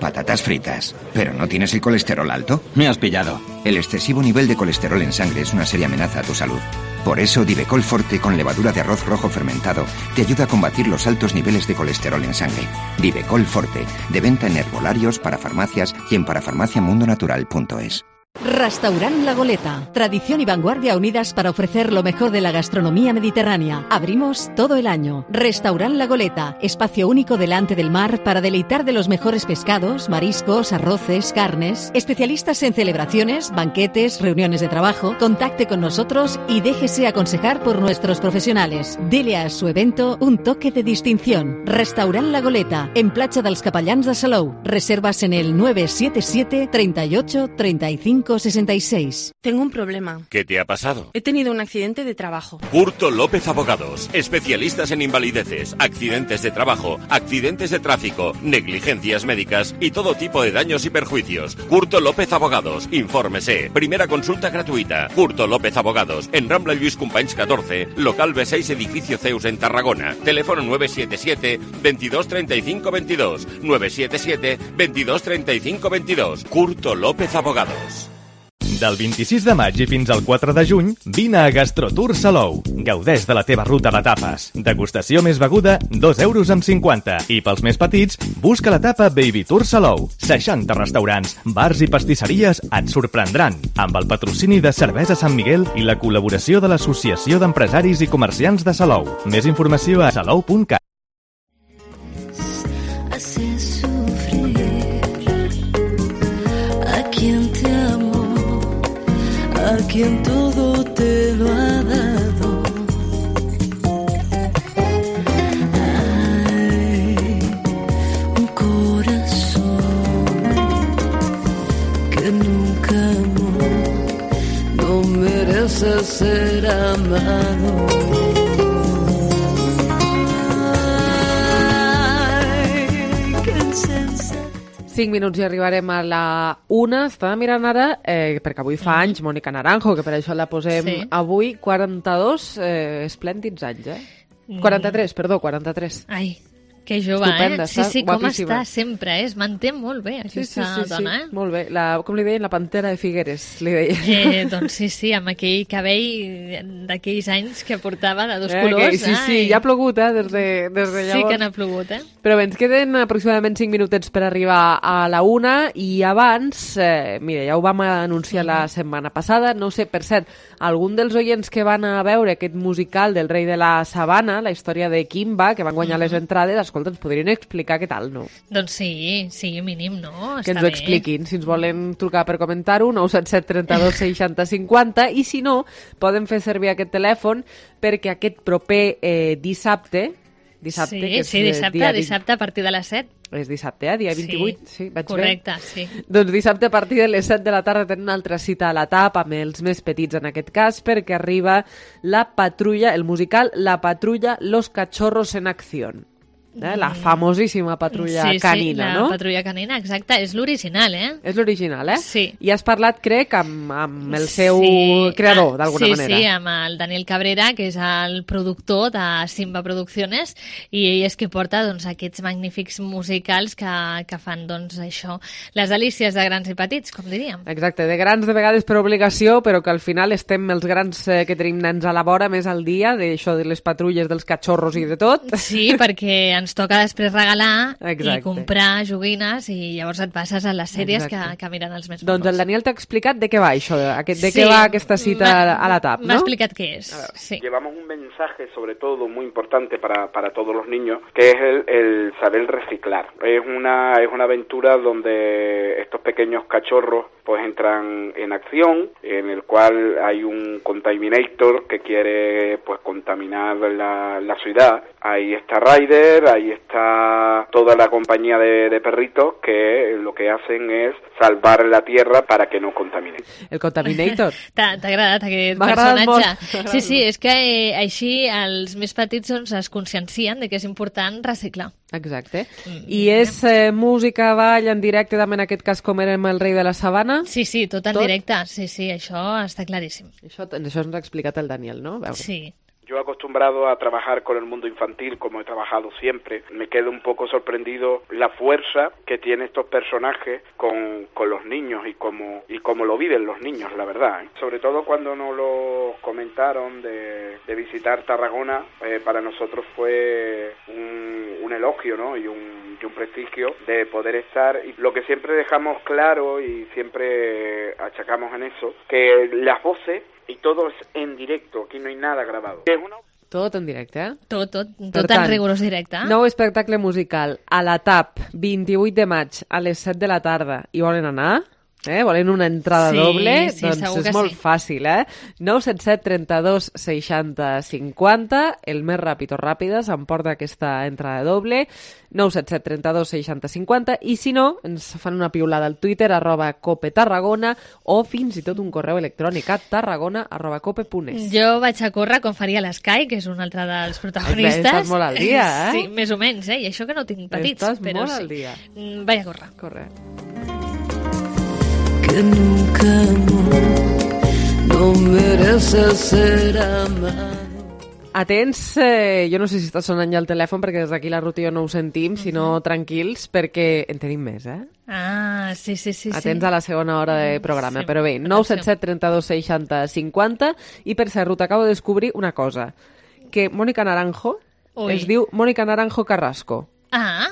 Patatas fritas. ¿Pero no tienes el colesterol alto? Me has pillado. El excesivo nivel de colesterol en sangre es una seria amenaza a tu salud. Por eso, Divecol Forte con levadura de arroz rojo fermentado te ayuda a combatir los altos niveles de colesterol en sangre. Divecol Forte, de venta en herbolarios, parafarmacias y en parafarmaciamundonatural.es. Restaurant La Goleta. Tradición y vanguardia unidas para ofrecer lo mejor de la gastronomía mediterránea. Abrimos todo el año. Restaurant La Goleta. Espacio único delante del mar para deleitar de los mejores pescados, mariscos, arroces, carnes. Especialistas en celebraciones, banquetes, reuniones de trabajo. Contacte con nosotros y déjese aconsejar por nuestros profesionales. Dele a su evento un toque de distinción. Restaurant La Goleta. En Platja dels Capellans de Salou. Reservas en el 977 38 35 66. Tengo un problema. ¿Qué te ha pasado? He tenido un accidente de trabajo. Curto López Abogados, especialistas en invalideces, accidentes de trabajo, accidentes de tráfico, negligencias médicas y todo tipo de daños y perjuicios. Curto López Abogados, infórmese. Primera consulta gratuita. Curto López Abogados, en Rambla Lluís Companys 14, local B6, edificio Zeus en Tarragona. Teléfono 977 22 35 22. 977 22 35 22. Curto López Abogados. Del 26 de maig i fins al 4 de juny, vine a Gastrotour Salou. Gaudeix de la teva ruta de tapes. Degustació més beguda, 2,50 €. I pels més petits, busca la tapa Baby Tour Salou. 60 restaurants, bars i pastisseries et sorprendran. Amb el patrocini de Cervesa Sant Miguel i la col·laboració de l'Associació d'Empresaris i Comerciants de Salou. Més informació a salou.cat. A quien todo te lo ha dado. Hay un corazón que nunca amó, no merece ser amado. Ay, qué insensato. 5 minuts i arribarem a la 1. Estava mirant ara, perquè avui fa anys, Mónica Naranjo, que per això la posem avui, 42 esplèndids anys, 43, perdó, 43. Ai, que jove, Estupenda, sí, sí, com guapíssima. està sempre, es manté molt bé aquesta dona, molt bé. Com li deien, la pantera de Figueres, li deien. Doncs sí, amb aquell cabell d'aquells anys que portava de dos colors. Sí, ja ha plogut, des de llavors. Sí que n'ha plogut, Però bé, ens queden aproximadament 5 minutets per arribar a la 1 i abans, mira, ja ho vam anunciar la setmana passada, no sé, per cert, algun dels oients que van a veure aquest musical del Rei de la Sabana, la història de Kimba, que van guanyar les entrades, escolta, ens podrien explicar què tal, no? Doncs sí, mínim, no? Que ens ho expliquin, si ens volen trucar per comentar-ho, 977 32 60 50, i si no, poden fer servir aquest telèfon perquè aquest proper dissabte, que és dissabte a partir de les 7. És dissabte, dia 28, sí, vaig correcte, bé? Sí. Doncs dissabte a partir de les 7 de la tarda tenen una altra cita a la TAP amb els més petits en aquest cas, perquè arriba la patrulla, el musical La Patrulla, Los Cachorros en Acción. La famosíssima patrulla canina, no? Sí, la patrulla canina, exacte. És l'original, És l'original, Sí. I has parlat, crec, amb el seu creador, d'alguna manera. Sí, amb el Daniel Cabrera, que és el productor de Simba Producciones, i ell és qui porta aquests magnífics musicals que fan, això, les delícies de grans i petits, com diríem. Exacte, de grans de vegades per obligació, però que al final estem els grans que tenim nens a la vora més al dia, d'això de les patrulles, dels cachorros i de tot. Sí, perquè ens toca després regalar Exacte. i comprar joguines i llavors et passes a les sèries que miren els més Doncs el Daniel t'ha explicat de què va això, de què va aquesta cita a la TAP, ¿no? M'ha explicat què és. Sí. Llevamos un mensaje, sobre todo, muy importante para todos los niños, que es el saber reciclar. Es una aventura donde estos pequeños cachorros pues entran en acción, en el cual hay un contaminator que quiere pues contaminar la ciudad. Ahí está Ryder, ahí está toda la compañía de perritos que lo que hacen es salvar la tierra para que no contamine. El contaminator. T'ha agradat aquest personatge? Sí, és que així els més petits es consciencien de que és important reciclar. Exacte. I és música, ball en directe, també en aquest cas com érem el Rei de la Sabana? Sí, tot en directe. Sí, això està claríssim. Això ens ha explicat el Daniel, no? Sí. Yo acostumbrado a trabajar con el mundo infantil, como he trabajado siempre, me quedo un poco sorprendido la fuerza que tienen estos personajes con los niños y cómo lo viven los niños, la verdad. Sobre todo cuando nos lo comentaron de visitar Tarragona, para nosotros fue un elogio, ¿no? y un prestigio de poder estar. Y lo que siempre dejamos claro y siempre achacamos en eso, que las voces y todo es en directo, aquí no hay nada grabado. Tot en directe, Tot en rigorós directe. Nou espectacle musical a la TAP, 28 de maig a les 7 de la tarda. I volen anar? Volen una entrada doble? Doncs és molt fàcil, 977 32 60 50, el més ràpid o ràpida s'emporta aquesta entrada doble, 977 32 60 50, i si no, ens fan una piulada al Twitter, @copetarragona, o fins i tot un correu electrònic a tarragona@cope.es. Jo vaig a córrer com faria l'Sky, que és un altre dels protagonistes. Estàs molt al dia, Sí, més o menys, i això que no tinc petits. Estàs però molt al dia. Vaig a córrer. Corre. Que nunca amó, no merece ser amado. Atents, jo no sé si està sonant ja el telèfon perquè des d'aquí la Ruth i jo no ho sentim, sinó tranquils, perquè en tenim més, Sí. Atents a la segona hora de programa, però bé, 977 32 60 50, i per cert, Ruth, acabo de descobrir una cosa, que Mónica Naranjo es diu Mónica Naranjo Carrasco.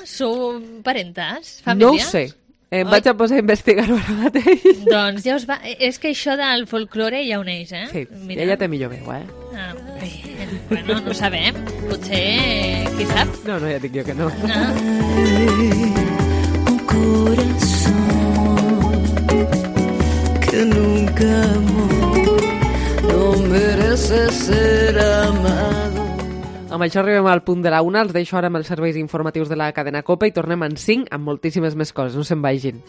Sou parentes? Família? No ho sé. Em vaig a posar a investigar-ho ara mateix. Doncs ja us va... És que això del folklore ja uneix, Sí, ella té millor veu, Bueno, no sabem. Potser... Qui sap? No, ja dic jo que no. Un corazón que nunca amó, no merece ser amado. Amb això arribem al punt de la 1, els deixo ara amb els serveis informatius de la cadena COPE i tornem en 5 amb moltíssimes més coses, no se'n vagin.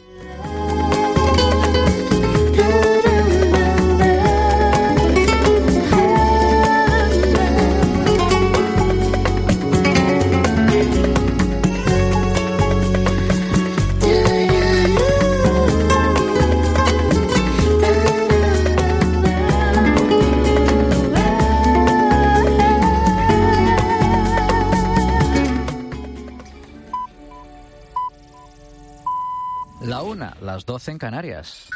las 12 en Canarias.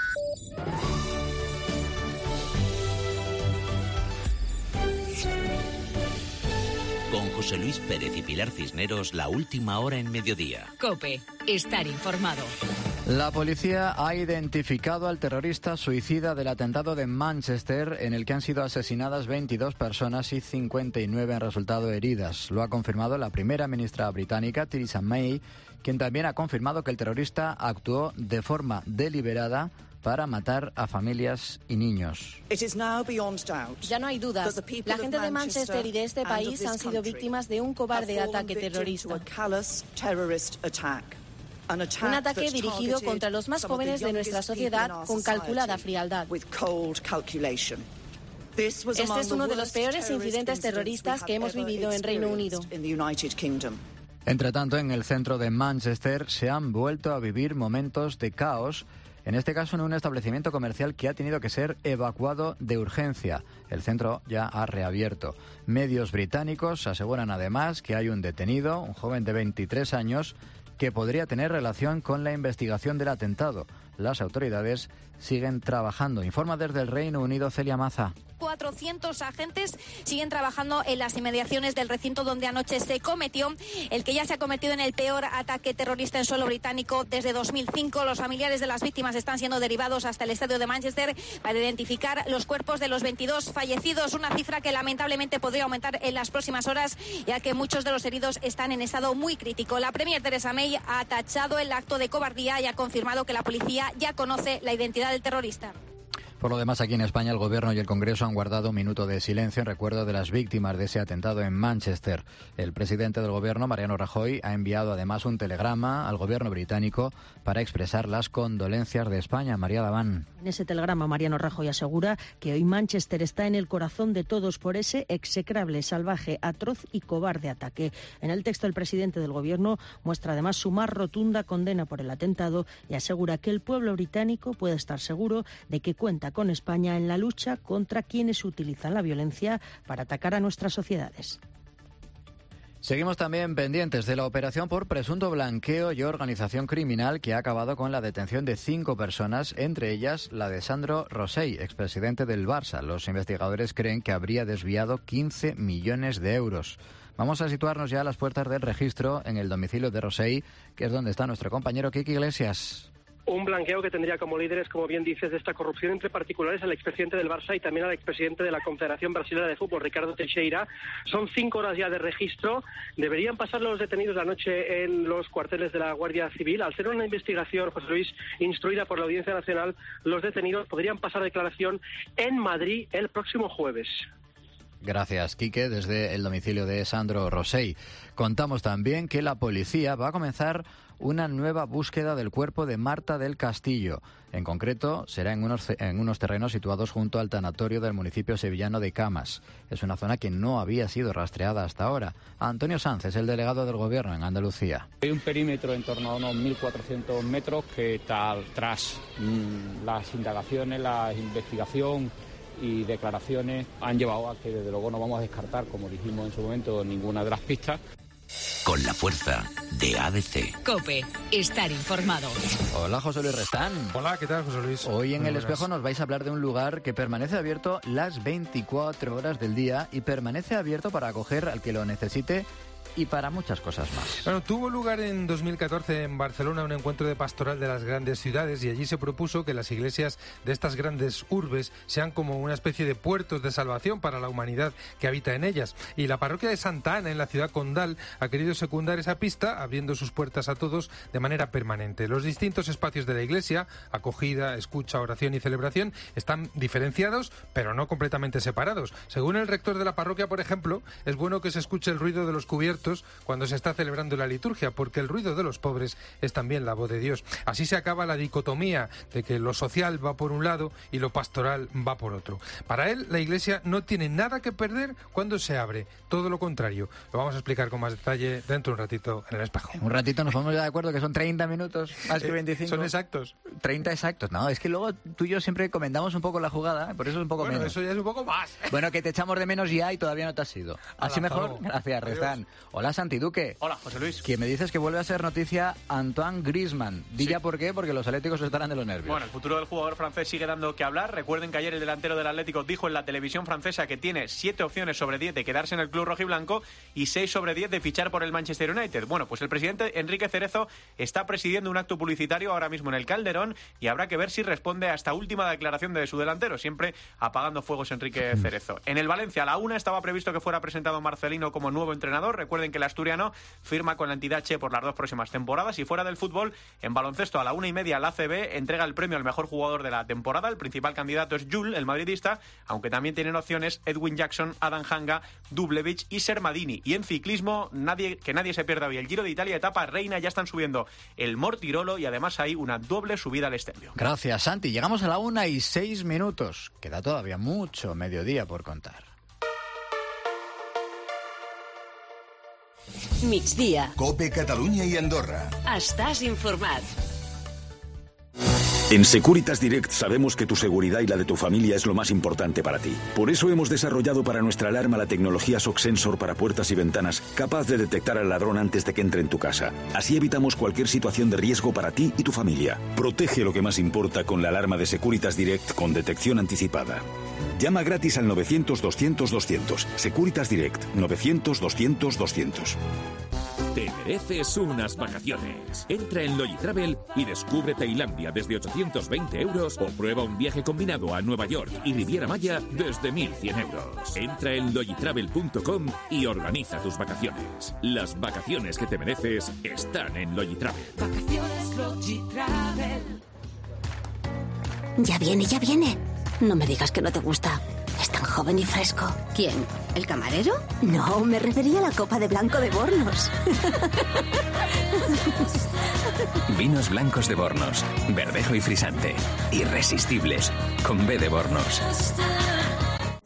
Con José Luis Pérez y Pilar Cisneros, la última hora en mediodía. COPE, estar informado. La policía ha identificado al terrorista suicida del atentado de Manchester, en el que han sido asesinadas 22 personas y 59 han resultado heridas. Lo ha confirmado la primera ministra británica, Theresa May, quien también ha confirmado que el terrorista actuó de forma deliberada para matar a familias y niños. Ya no hay dudas. La gente de Manchester y de este país han sido víctimas de un cobarde ataque terrorista. Un ataque dirigido contra los más jóvenes de nuestra sociedad con calculada frialdad. Este es uno de los peores incidentes terroristas que hemos vivido en Reino Unido. Entre tanto, en el centro de Manchester se han vuelto a vivir momentos de caos, en este caso en un establecimiento comercial que ha tenido que ser evacuado de urgencia. El centro ya ha reabierto. Medios británicos aseguran además que hay un detenido, un joven de 23 años, que podría tener relación con la investigación del atentado. Las autoridades siguen trabajando. Informa desde el Reino Unido Celia Maza. 400 agentes siguen trabajando en las inmediaciones del recinto donde anoche se cometió el que ya se ha convertido en el peor ataque terrorista en suelo británico desde 2005. Los familiares de las víctimas están siendo derivados hasta el estadio de Manchester para identificar los cuerpos de los 22 fallecidos, una cifra que lamentablemente podría aumentar en las próximas horas, ya que muchos de los heridos están en estado muy crítico. La premier Theresa May ha tachado el acto de cobardía y ha confirmado que la policía ya conoce la identidad del terrorista. Por lo demás, aquí en España, el Gobierno y el Congreso han guardado un minuto de silencio en recuerdo de las víctimas de ese atentado en Manchester. El presidente del Gobierno, Mariano Rajoy, ha enviado además un telegrama al Gobierno británico para expresar las condolencias de España. María Daván. En ese telegrama, Mariano Rajoy asegura que hoy Manchester está en el corazón de todos por ese execrable, salvaje, atroz y cobarde ataque. En el texto, el presidente del Gobierno muestra además su más rotunda condena por el atentado y asegura que el pueblo británico puede estar seguro de que cuenta con España en la lucha contra quienes utilizan la violencia para atacar a nuestras sociedades. Seguimos también pendientes de la operación por presunto blanqueo y organización criminal que ha acabado con la detención de 5 personas, entre ellas la de Sandro Rosell, expresidente del Barça. Los investigadores creen que habría desviado 15 millones de euros. Vamos a situarnos ya a las puertas del registro en el domicilio de Rosell, que es donde está nuestro compañero Kiki Iglesias. Un blanqueo que tendría como líderes, como bien dices, de esta corrupción entre particulares al expresidente del Barça y también al expresidente de la Confederación Brasileña de Fútbol, Ricardo Teixeira. Son 5 horas ya de registro. Deberían pasar los detenidos la noche en los cuarteles de la Guardia Civil. Al ser una investigación, José Luis, instruida por la Audiencia Nacional, los detenidos podrían pasar declaración en Madrid el próximo jueves. Gracias, Quique, desde el domicilio de Sandro Rosell. Contamos también que la policía va a comenzar una nueva búsqueda del cuerpo de Marta del Castillo. En concreto, será en unos terrenos situados junto al tanatorio del municipio sevillano de Camas. Es una zona que no había sido rastreada hasta ahora. Antonio Sanz es el delegado del Gobierno en Andalucía. Hay un perímetro en torno a unos 1.400 metros que tras las indagaciones, la investigación y declaraciones han llevado a que desde luego no vamos a descartar, como dijimos en su momento, ninguna de las pistas. Con la fuerza de ABC. COPE, estar informado. Hola, José Luis Restán. Hola, ¿qué tal, José Luis? Hoy en El Espejo nos vais a hablar de un lugar que permanece abierto las 24 horas del día y permanece abierto para acoger al que lo necesite y para muchas cosas más. Bueno, tuvo lugar en 2014 en Barcelona un encuentro de pastoral de las grandes ciudades y allí se propuso que las iglesias de estas grandes urbes sean como una especie de puertos de salvación para la humanidad que habita en ellas. Y la parroquia de Santa Ana, en la ciudad condal, ha querido secundar esa pista, abriendo sus puertas a todos de manera permanente. Los distintos espacios de la iglesia, acogida, escucha, oración y celebración, están diferenciados, pero no completamente separados. Según el rector de la parroquia, por ejemplo, es bueno que se escuche el ruido de los cubiertos cuando se está celebrando la liturgia, porque el ruido de los pobres es también la voz de Dios. Así se acaba la dicotomía de que lo social va por un lado y lo pastoral va por otro. Para él, la Iglesia no tiene nada que perder cuando se abre, todo lo contrario. Lo vamos a explicar con más detalle dentro de un ratito en El Espejo. En un ratito nos ponemos ya de acuerdo que son 30 minutos, más que 25. Son exactos. 30 exactos. No, es que luego tú y yo siempre comentamos un poco la jugada, por eso es un poco menos. Bueno, eso ya es un poco más. Bueno, que te echamos de menos ya y todavía no te has ido. Así mejor. Gracias, Restán. Hola, Santi Duque. Hola, José Luis. Que me dices que vuelve a ser noticia Antoine Griezmann. Dilla por qué, porque los atléticos estarán de los nervios. Bueno, el futuro del jugador francés sigue dando que hablar. Recuerden que ayer el delantero del Atlético dijo en la televisión francesa que tiene 7 opciones sobre 10 de quedarse en el club rojiblanco y 6 sobre 10 de fichar por el Manchester United. Bueno, pues el presidente Enrique Cerezo está presidiendo un acto publicitario ahora mismo en el Calderón y habrá que ver si responde a esta última declaración de su delantero, siempre apagando fuegos Enrique Cerezo. En el Valencia, a la 1 estaba previsto que fuera presentado Marcelino como nuevo entrenador. Recuerden que el asturiano firma con la entidad Che por las 2 próximas temporadas. Y fuera del fútbol, en baloncesto, a la 1:30 la ACB entrega el premio al mejor jugador de la temporada. El principal candidato es Jul, el madridista, aunque también tienen opciones Edwin Jackson, Adam Hanga, Dublevich y Sermadini. Y en ciclismo, que nadie se pierda hoy el Giro de Italia, etapa reina, ya están subiendo el Mortirolo y además hay una doble subida al Estelvio. Gracias, Santi. Llegamos a la 1:06. Queda todavía mucho mediodía por contar. Migdia. COPE Catalunya y Andorra. Estàs informat. En Securitas Direct sabemos que tu seguridad y la de tu familia es lo más importante para ti. Por eso hemos desarrollado para nuestra alarma la tecnología SOC Sensor para puertas y ventanas, capaz de detectar al ladrón antes de que entre en tu casa. Así evitamos cualquier situación de riesgo para ti y tu familia. Protege lo que más importa con la alarma de Securitas Direct con detección anticipada. Llama gratis al 900-200-200. Securitas Direct, 900-200-200. Te mereces unas vacaciones. Entra en Logitravel y descubre Tailandia desde 820 euros o prueba un viaje combinado a Nueva York y Riviera Maya desde 1.100 euros. Entra en logitravel.com y organiza tus vacaciones. Las vacaciones que te mereces están en Logitravel. Vacaciones Logitravel. Ya viene. No me digas que no te gusta. Es tan joven y fresco. ¿Quién? ¿El camarero? No, me refería a la copa de blanco de Bornos. Vinos blancos de Bornos. Verdejo y frisante. Irresistibles. Con B de Bornos.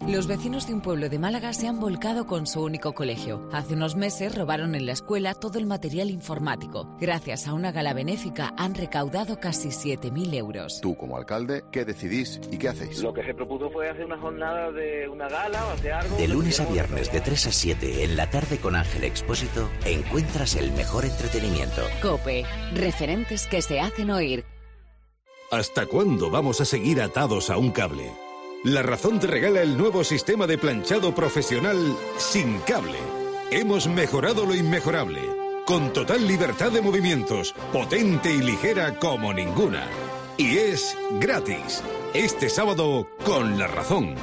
Los vecinos de un pueblo de Málaga se han volcado con su único colegio. Hace unos meses robaron en la escuela todo el material informático. Gracias a una gala benéfica han recaudado casi 7.000 euros. Tú, como alcalde, ¿qué decidís y qué hacéis? Lo que se propuso fue hacer una jornada de una gala o hacer algo... De lunes a viernes de 3 a 7 en la tarde con Ángel Expósito encuentras el mejor entretenimiento. COPE. Referentes que se hacen oír. ¿Hasta cuándo vamos a seguir atados a un cable? La Razón te regala el nuevo sistema de planchado profesional sin cable. Hemos mejorado lo inmejorable, con total libertad de movimientos, potente y ligera como ninguna. Y es gratis. Este sábado con La Razón.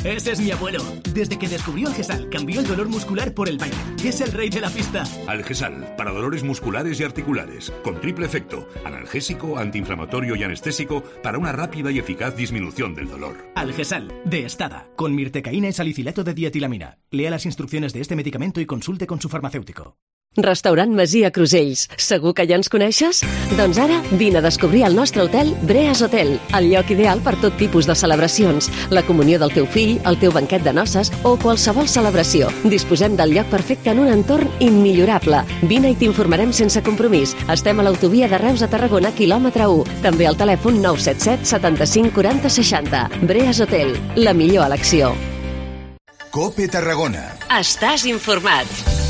Ese es mi abuelo. Desde que descubrió Algesal, cambió el dolor muscular por el baile. Es el rey de la pista. Algesal, para dolores musculares y articulares, con triple efecto, analgésico, antiinflamatorio y anestésico, para una rápida y eficaz disminución del dolor. Algesal, de Estada, con mirtecaína y salicilato de dietilamina. Lea las instrucciones de este medicamento y consulte con su farmacéutico. Restaurant Masia Crusells. Segur que ja ens coneixes? Doncs ara vine a descobrir el nostre hotel Breas Hotel, el lloc ideal per tot tipus de celebracions, la comunió del teu fill, el teu banquet de noces o qualsevol celebració. Disposem del lloc perfecte en un entorn immillorable. Vine i t'informarem sense compromís. Estem a l'autovia de Reus a Tarragona, quilòmetre 1. També al telèfon 977 75 40 60. Breas Hotel, la millor elecció. COPE Tarragona. Estàs informat.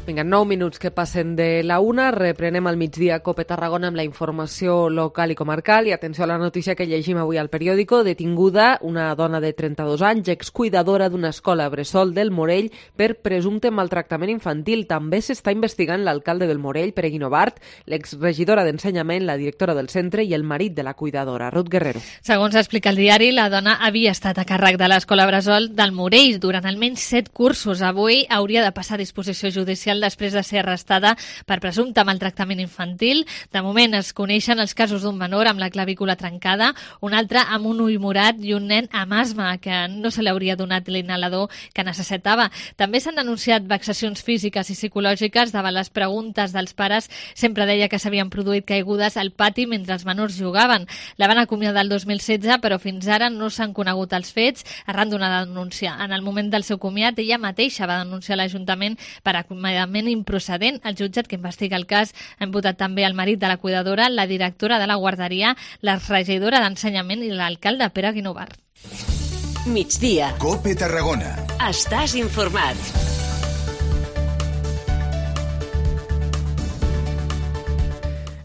Vinga, 9 minuts que passen de la 1. Reprenem al migdia COPE Tarragona amb la informació local i comarcal. I atenció a la notícia que llegim avui al periòdico. Detinguda una dona de 32 anys, excuidadora d'una escola bressol del Morell per presumpte maltractament infantil. També s'està investigant l'alcalde del Morell, Pereguino Bart, l'exregidora d'Ensenyament, la directora del centre i el marit de la cuidadora, Ruth Guerrero. Segons explica el diari, la dona havia estat a càrrec de l'escola bressol del Morell durant almenys 7 cursos. Avui hauria de passar a disposició judicial després de ser arrestada per presumpte maltractament infantil. De moment es coneixen els casos d'un menor amb la clavícula trencada, un altre amb un ull morat i un nen amb asma que no se li hauria donat l'inhalador que necessitava. També s'han denunciat vexacions físiques i psicològiques davant les preguntes dels pares. Sempre deia que s'havien produït caigudes al pati mentre els menors jugaven. La van acomiadar el 2016, però fins ara no s'han conegut els fets arran d'una denúncia. En el moment del seu comiat, ella mateixa va denunciar l'Ajuntament per acomiadament ensenyament improcedent. El jutjat que investiga el cas ha imputat també el marit de la cuidadora, la directora de la guarderia, la regidora d'ensenyament i l'alcalde Pere Guinovar. Migdia. COPE Tarragona. Estàs informat.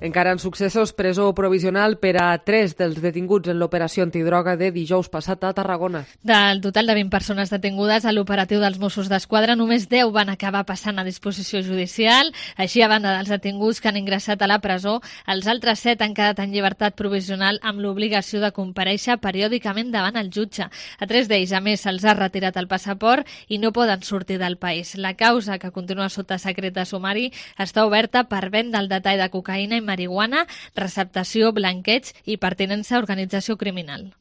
Encara en successos, presó provisional per a 3 dels detinguts en l'operació antidroga de dijous passat a Tarragona. Del total de 20 persones detingudes a l'operatiu dels Mossos d'Esquadra, només 10 van acabar passant a disposició judicial. Així, a banda dels detinguts que han ingressat a la presó, els altres 7 han quedat en llibertat provisional amb l'obligació de comparèixer periòdicament davant el jutge. A 3 d'ells, a més, se'ls ha retirat el passaport i no poden sortir del país. La causa, que continua sota secret de sumari, està oberta per venda al detall de cocaïna i marihuana, receptació, blanqueig i pertinença a organització criminal.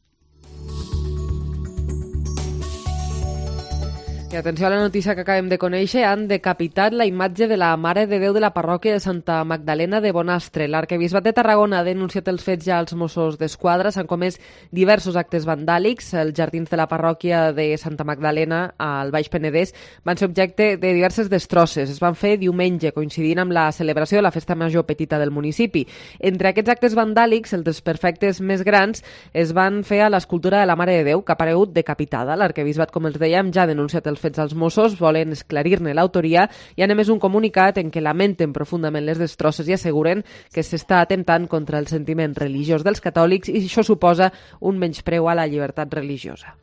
I atenció a la notícia que acabem de conèixer, han decapitat la imatge de la Mare de Déu de la parròquia de Santa Magdalena de Bonastre. L'arquebisbat de Tarragona ha denunciat els fets ja als Mossos d'Esquadra. S'han comès diversos actes vandàlics. Els jardins de la parròquia de Santa Magdalena, al Baix Penedès, van ser objecte de diverses destrosses. Es van fer diumenge, coincidint amb la celebració de la festa major petita del municipi. Entre aquests actes vandàlics, els desperfectes més grans es van fer a l'escultura de la Mare de Déu, que ha aparegut decapitada. L'arquebisbat, com els dèiem, ja ha denunciat els fets als Mossos, volen esclarir-ne l'autoria i han emès un comunicat en què lamenten profundament les destrosses i asseguren que s'està atemptant contra el sentiment religiós dels catòlics i això suposa un menyspreu a la llibertat religiosa.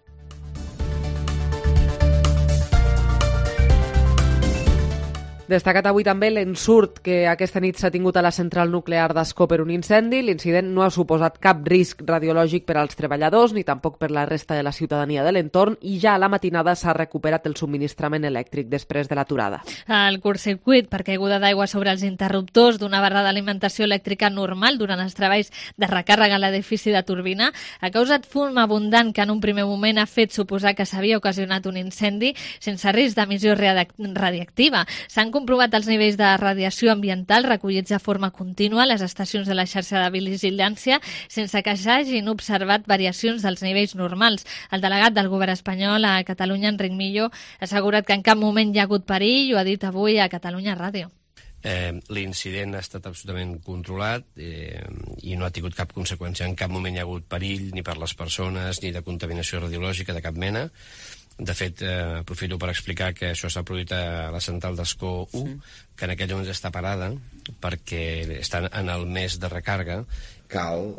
Destacat avui també l'ensurt que aquesta nit s'ha tingut a la central nuclear d'Ascó per un incendi. L'incident no ha suposat cap risc radiològic per als treballadors ni tampoc per la resta de la ciutadania de l'entorn i ja a la matinada s'ha recuperat el subministrament elèctric després de l'aturada. El curtcircuit per caiguda d'aigua sobre els interruptors d'una barra d'alimentació elèctrica normal durant els treballs de recàrrega a l'edifici de turbina ha causat fum abundant que en un primer moment ha fet suposar que s'havia ocasionat un incendi sense risc d'emissió radiactiva. S'han comprovat els nivells de radiació ambiental recollits de forma contínua a les estacions de la xarxa de vigilància sense que s'hagin observat variacions dels nivells normals. El delegat del govern espanyol a Catalunya, Enric Millo, ha assegurat que en cap moment hi ha hagut perill i ho ha dit avui a Catalunya Ràdio. L'incident ha estat absolutament controlat i no ha tingut cap conseqüència. En cap moment hi ha hagut perill ni per les persones ni de contaminació radiològica de cap mena. De fet, aprofito per explicar que això s'ha produït a la central d'Ascó 1, que en aquests moments està parada perquè estan en el mes de recàrrega. Cal...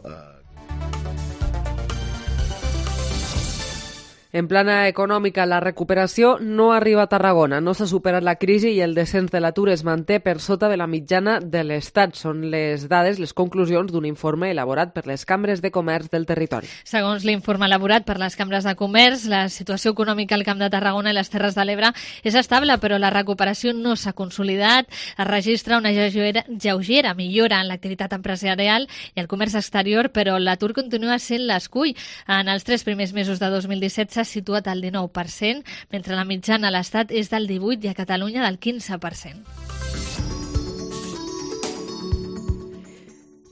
En plana econòmica, la recuperació no arriba a Tarragona. No s'ha superat la crisi i el descens de l'atur es manté per sota de la mitjana de l'Estat. Són les dades, les conclusions d'un informe elaborat per les cambres de comerç del territori. Segons l'informe elaborat per les cambres de comerç, la situació econòmica al Camp de Tarragona i les Terres de l'Ebre és estable, però la recuperació no s'ha consolidat. Es registra una lleugera millora en l'activitat empresarial i el comerç exterior, però l'atur continua sent l'escull. En els 3 primers mesos de 2017 s'ha situat al 19%, mentre la mitjana a l'Estat és del 18% i a Catalunya del 15%.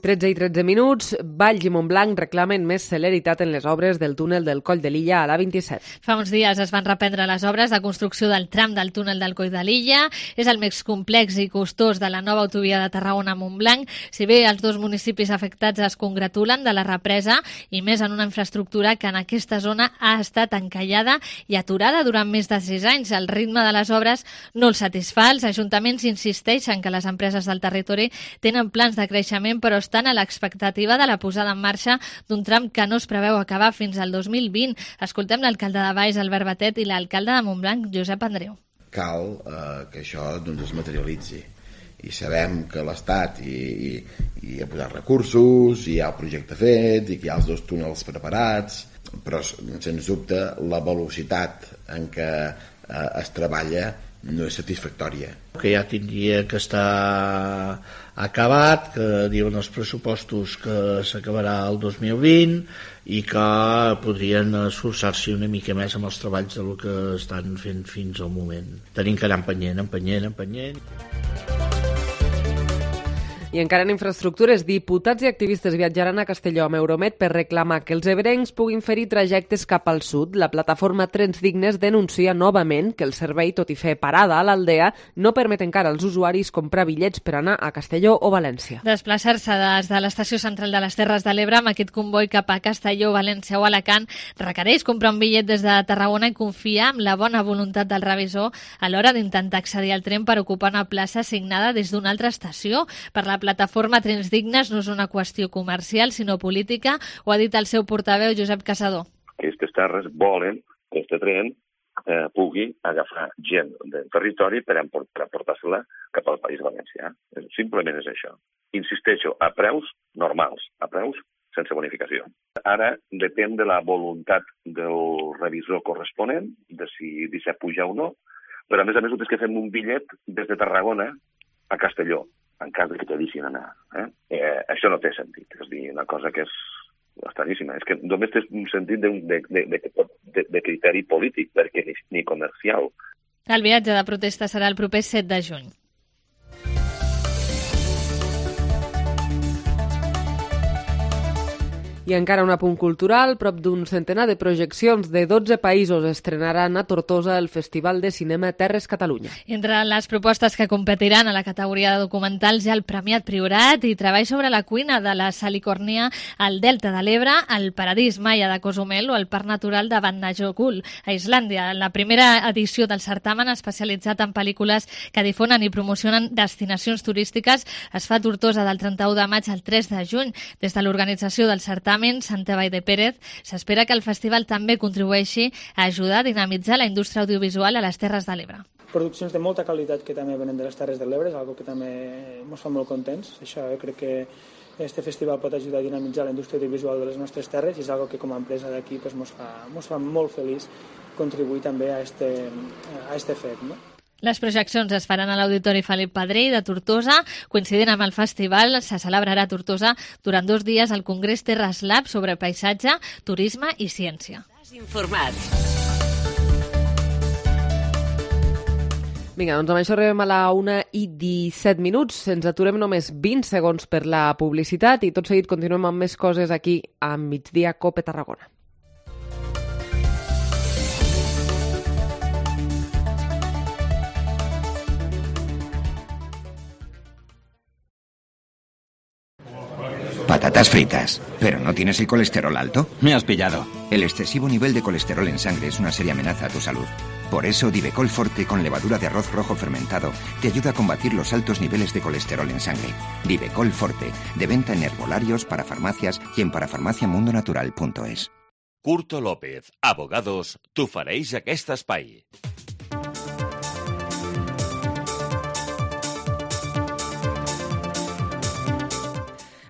13 i 13 minuts, Valls i Montblanc reclamen més celeritat en les obres del túnel del Coll de Lilla a l'A27. Fa uns dies es van reprendre les obres de construcció del tram del túnel del Coll de Lilla. És el més complex i costós de la nova autovia de Tarragona a Montblanc. Si bé els 2 municipis afectats es congratulen de la represa i més en una infraestructura que en aquesta zona ha estat encallada i aturada durant més de 6 anys. El ritme de les obres no els satisfà. Els ajuntaments insisteixen que les empreses del territori tenen plans de creixement, però estan a l'expectativa de la posada en marxa d'un tram que no es preveu acabar fins al 2020. Escoltem l'alcalde de Valls, Albert Batet, i l'alcalde de Montblanc, Josep Andreu. Cal que això es materialitzi. I sabem que l'Estat hi ha posat recursos, hi ha el projecte fet, i que hi ha els 2 túnels preparats, però, sens dubte, la velocitat en què es treballa no és satisfactòria. Que ja tindria que estar acabat, que diuen els pressupostos que s'acabarà el 2020 i que podrien esforçar-se una mica més amb els treballs del que estan fent fins al moment. Tenim que anar empenyent. I encara en infraestructures, diputats i activistes viatjaran a Castelló amb Euromed per reclamar que els ebrencs puguin fer-hi trajectes cap al sud. La plataforma Trens Dignes denuncia novament que el servei, tot i fer parada a l'Aldea, no permet encara als usuaris comprar bitllets per anar a Castelló o València. Desplaçar-se des de l'estació central de les Terres de l'Ebre amb aquest comboi cap a Castelló, València o Alacant requereix comprar un bitllet des de Tarragona i confiar en la bona voluntat del revisor a l'hora d'intentar accedir al tren per ocupar una plaça assignada des d'una altra estació. Per la plataforma Trens Dignes no és una qüestió comercial, sinó política, ho ha dit el seu portaveu Josep Casador. Aquestes terres volen que aquest tren pugui agafar gent del territori per portar-se-la cap al País Valencià. Simplement és això. Insisteixo, a preus normals, a preus sense bonificació. Ara depèn de la voluntat del revisor corresponent, de si deixa pujar o no, però a més el que fem un bitllet des de Tarragona a Castelló, en cas que te deixin anar. Això no té sentit. És a dir, una cosa que és estranyíssima. És que només té un sentit de criteri polític, perquè ni comercial. El viatge de protesta serà el proper 7 de juny. I encara un apunt cultural, prop d'un centenar de projeccions de 12 països estrenaran a Tortosa el Festival de Cinema Terres Catalunya. Entre les propostes que competiran a la categoria de documentals hi ha el Premiat Priorat i treball sobre la cuina de la Salicòrnia al Delta de l'Ebre, el Paradís Maia de Cozumel o el Parc Natural de Vatnajökull, a Islàndia. La primera edició del certamen especialitzat en pel·lícules que difonen i promocionen destinacions turístiques es fa a Tortosa del 31 de maig al 3 de juny. Des de l'organització del certamen Santa Vall de Pérez, s'espera que el festival també contribueixi a ajudar a dinamitzar la indústria audiovisual a les Terres de l'Ebre. Produccions de molta qualitat que també venen de les Terres de l'Ebre, és una cosa que també ens fa molt contents. Això crec que este festival pot ajudar a dinamitzar la indústria audiovisual de les nostres terres i és una cosa que com a empresa d'aquí ens fa molt feliç contribuir també a este fet, no? Les projeccions es faran a l'Auditori Felip Pedrell de Tortosa. Coincidint amb el festival, se celebrarà a Tortosa durant 2 dies el Congrés Terres Lab sobre paisatge, turisme i ciència. Estàs informat. Vinga, doncs amb això arribem a la 1:17. Ens aturem només 20 segons per la publicitat i tot seguit continuem amb més coses aquí a Migdia Cope Tarragona. Patatas fritas. ¿Pero no tienes el colesterol alto? Me has pillado. El excesivo nivel de colesterol en sangre es una seria amenaza a tu salud. Por eso, Divecol Forte con levadura de arroz rojo fermentado te ayuda a combatir los altos niveles de colesterol en sangre. Divecol Forte, de venta en herbolarios, para farmacias y en parafarmaciamundonatural.es. Curto López, abogados, t'ho fareix aquest espai.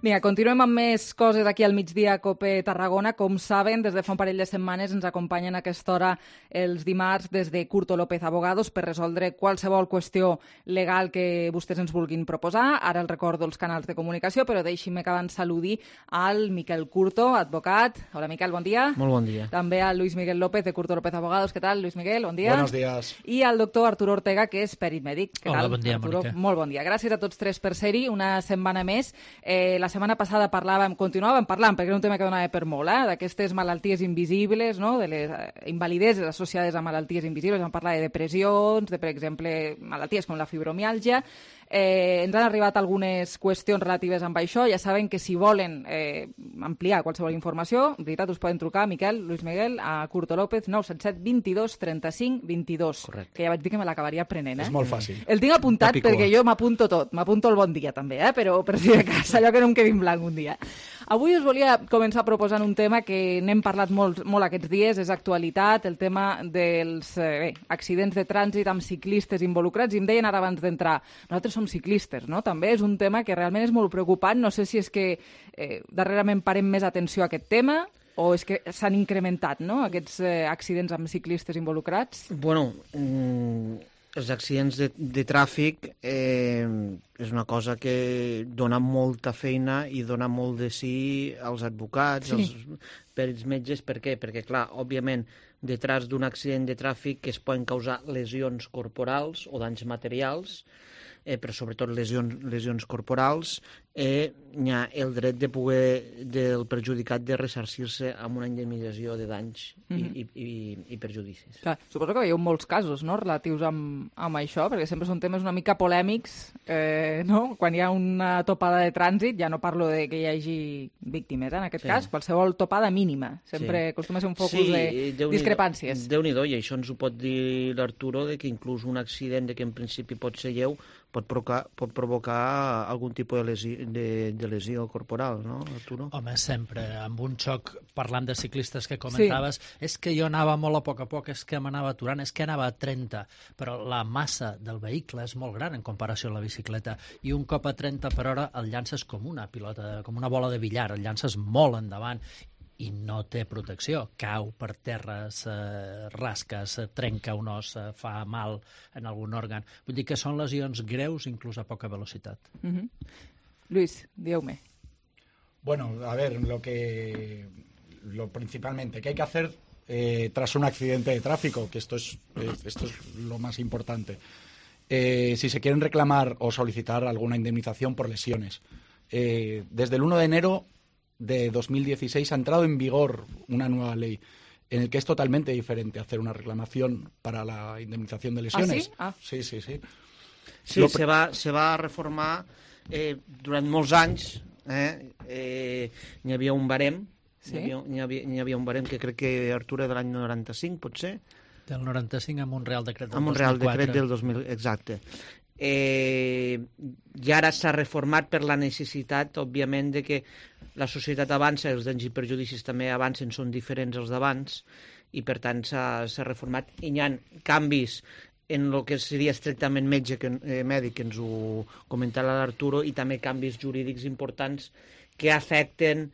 Vinga, continuem amb més coses aquí al Migdia Cope Tarragona. Com saben, des de fa un parell de setmanes ens acompanyen a aquesta hora els dimarts des de Curto López Abogados per resoldre qualsevol qüestió legal que vostès ens vulguin proposar. Ara els recordo els canals de comunicació, però deixi'm que abans saludi al Miquel Curto, advocat. Hola, Miquel, bon dia. Molt bon dia. També al Luis Miguel López de Curto López Abogados. Què tal, Luis Miguel? Bon dia. Buenos días. I al doctor Arturo Ortega, que és perit mèdic. Què Hola, tal, bon dia, Arturo? Mònica. Molt bon dia. Gràcies a tots tres per ser-hi una setmana més. La setmana passada continuàvem parlant, perquè era un tema que donava per molt, d'aquestes malalties invisibles, no? De les invalideses associades a malalties invisibles. Vam parlar de depressions, de, per exemple, malalties com la fibromiàlgia. Ens han arribat algunes qüestions relatives amb això. Ja saben que si volen ampliar qualsevol informació, en veritat us poden trucar, Miquel, Luis Miguel, a Curto López, 977 22 35 22. Correcte. Que ja vaig dir que me l'acabaria prenent. És molt fàcil. El tinc apuntat perquè jo m'apunto tot. M'apunto el bon dia, també, però per si de cas, allò que no em quedi en blanc un dia. Avui us volia començar proposant un tema que n'hem parlat molt aquests dies, és actualitat, el tema dels accidents de trànsit amb ciclistes involucrats. I em deien ara abans d'entrar, nosaltres som ciclistes, no? També és un tema que realment és molt preocupant. No sé si és que darrerament parem més atenció a aquest tema o és que s'han incrementat, no?, aquests accidents amb ciclistes involucrats. Bueno, els accidents de tràfic és una cosa que dona molta feina i dona molt de sí als advocats, als perits metges. Per què? Perquè, clar, òbviament, detrás d'un accident de tràfic es poden causar lesions corporals o danys materials, però sobretot lesions corporals, hi ha el dret de poder del perjudicat de ressarcir-se amb una indemnització de danys i perjudicis. Clar, suposo que veieu molts casos, no?, relatius amb això, perquè sempre són temes una mica polèmics, no? Quan hi ha una topada de trànsit, ja no parlo de que hi hagi víctimes, en aquest cas, qualsevol topada mínima. Sempre acostuma a ser un focus de discrepàncies. Déu-n'hi-do, i això ens ho pot dir l'Arturo, que inclús un accident que en principi pot ser lleu pot provocar algun tipus de lesió corporal, no, Arturo? Home, sempre. Amb un xoc, parlant de ciclistes que comentaves, és que jo anava molt a poc, és que m'anava aturant, és que anava a 30, però la massa del vehicle és molt gran en comparació a la bicicleta, i un cop a 30 per hora el llances com una pilota, com una bola de billar, el llances molt endavant, i no té protecció, cau per terra, rasca, trenca un os, fa mal en algun òrgan. Vull dir que són lesions greus, inclús a poca velocitat. Luis, dígame. Bueno, a ver, principalmente, ¿qué hay que hacer tras un accidente de tráfico? Que esto es lo más importante. Si se quieren reclamar o solicitar alguna indemnización por lesiones. Desde el 1 de enero de 2016 ha entrado en vigor una nueva ley en el que es totalmente diferente hacer una reclamación para la indemnización de lesiones. ¿Ah, sí? Sí. Sí, se va reformar durant molts anys. N'hi havia un barem, n'hi havia un barem que crec que Artur de l'any 95, potser. Del 95 amb un Real Decret del 2004. Amb un Real Decret del 2000, exacte. I ara s'ha reformat per la necessitat, òbviament, de que la societat avança, els danys i perjudicis també avancen, són diferents als d'abans, i per tant s'ha reformat. I hi ha canvis en el que seria estrictament mèdic, que ens ho comentava l'Arturo, i també canvis jurídics importants que afecten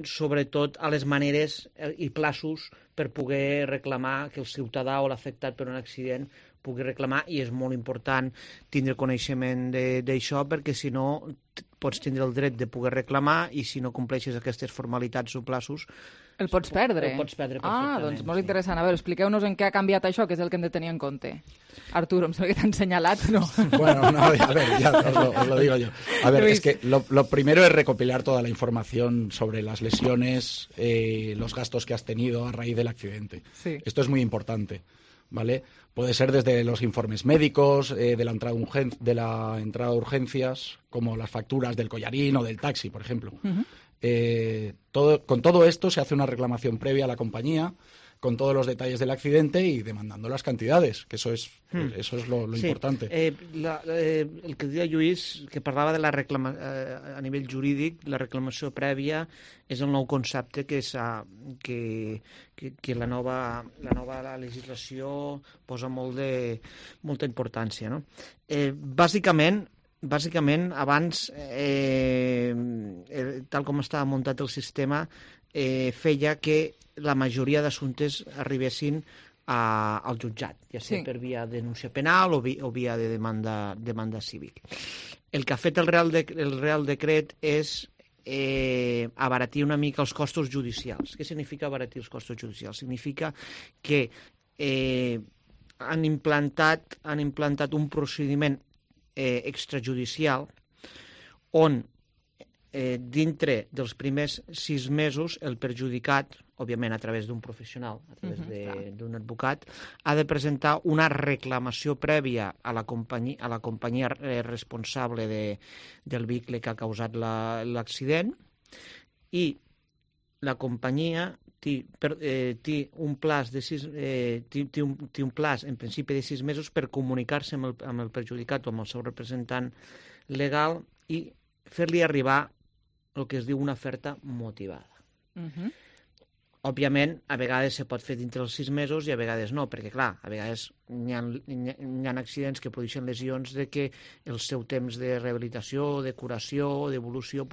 sobretot a les maneres i plaços per poder reclamar, que el ciutadà o l'afectat per un accident pugui reclamar, i és molt important tindre coneixement d'això, perquè si no pots tindre el dret de poder reclamar, i si no compleixes aquestes formalitats o plaços el pots perdre. El pots perdre perfectament. Doncs molt interessant. A veure, expliqueu-nos en què ha canviat això, que és el que hem de tenir en compte. Arturo, em sembla que t'han senyalat, ¿no? Bueno, no, a ver, ya os lo digo yo. A ver, es que lo primero es recopilar toda la información sobre las lesiones, los gastos que has tenido a raíz del accidente. Sí. Esto es muy importante, ¿vale? Puede ser desde los informes médicos, de la entrada de urgencias, como las facturas del collarín o del taxi, por ejemplo. Con todo esto se hace una reclamación previa a la compañía, con todos los detalles del accidente y demandando las cantidades, que eso es lo importante. El que deia Lluís, que parlava de a nivell jurídic, la reclamació prèvia és el nou concepte que la nova legislació posa molta importància, no? Bàsicament, abans, tal com estava muntat el sistema, feia que la majoria d'assumptes arribessin al jutjat, ja sigui per via de denúncia penal o via de demanda cívic. El que ha fet el Real Decret és abaratir una mica els costos judicials. Què significa abaratir els costos judicials? Significa que han implantat un procediment extrajudicial on dintre dels primers 6 mesos el perjudicat, òbviament a través d'un professional, a través d'un advocat, ha de presentar una reclamació prèvia a la companyia responsable del vehicle que ha causat l'accident, i la companyia té un plaç en principi de 6 mesos per comunicar-se amb el perjudicat o amb el seu representant legal i fer-li arribar el que es diu una oferta motivada. Òbviament, a vegades se pot fer dintre els 6 mesos i a vegades no, perquè, clar, a vegades hi ha accidents que produeixen lesions de que el seu temps de rehabilitació, de curació, d'evolució,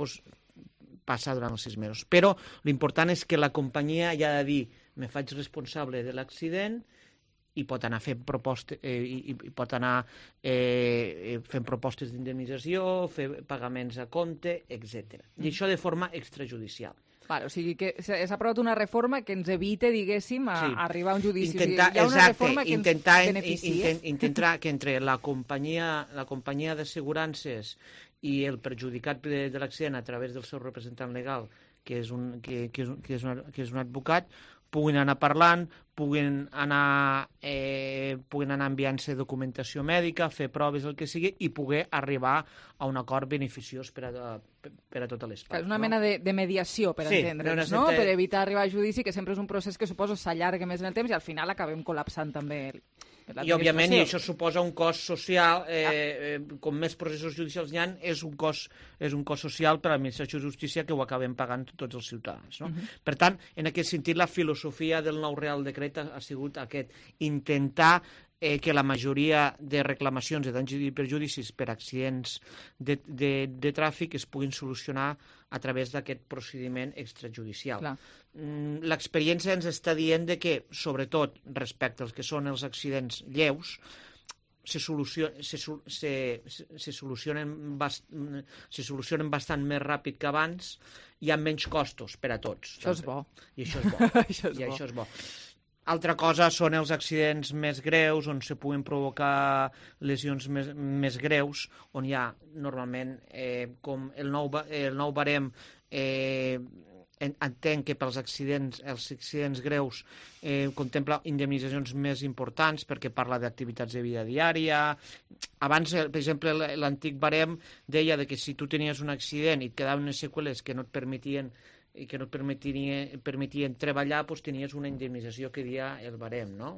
passa durant els 6 mesos. Però l'important és que la companyia ja ha de dir me faig responsable de l'accident i pot anar fent propostes d'indemnització, fer pagaments a compte, etc. I això de forma extrajudicial. Vale, o sigui que s'ha aprovat una reforma que ens evite, diguéssim, arribar a un judici. Intentar, hi ha una reforma que ens beneficia. Intentar que entre la companyia d'assegurances i el perjudicat de l'accident a través del seu representant legal, que és un advocat, puguin anar parlant, puguin anar enviant-se documentació mèdica, fer proves, el que sigui, i poder arribar a un acord beneficiós per a totes les parts. És una mena de mediació, per entendre'ns, no? Per evitar arribar a judici, que sempre és un procés que suposo s'allarga més en el temps i al final acabem col·lapsant també I, òbviament, això suposa un cost social, com més processos judicials hi ha, és un cost social per a l'administració de justícia que ho acabem pagant tots els ciutadans. No? Per tant, en aquest sentit, la filosofia del nou Real Decret ha sigut intentar que la majoria de reclamacions de danys i perjudicis per accidents de tràfic es puguin solucionar a través d'aquest procediment extrajudicial. L'experiència ens està dient que, sobretot respecte als que són els accidents lleus, se solucionen bastant més ràpid que abans i amb menys costos per a tots. Això és bo. I això és bo. Altra cosa són els accidents més greus, on se puguen provocar lesions més greus, on hi ha normalment, com el nou barem, entenc que pels accidents greus contempla indemnitzacions més importants perquè parla d'activitats de vida diària. Abans, per exemple, l'antic barem deia que si tu tenies un accident i et quedaven unes seqüeles que no et permetien treballar, doncs tenies una indemnització que deia el barem, no?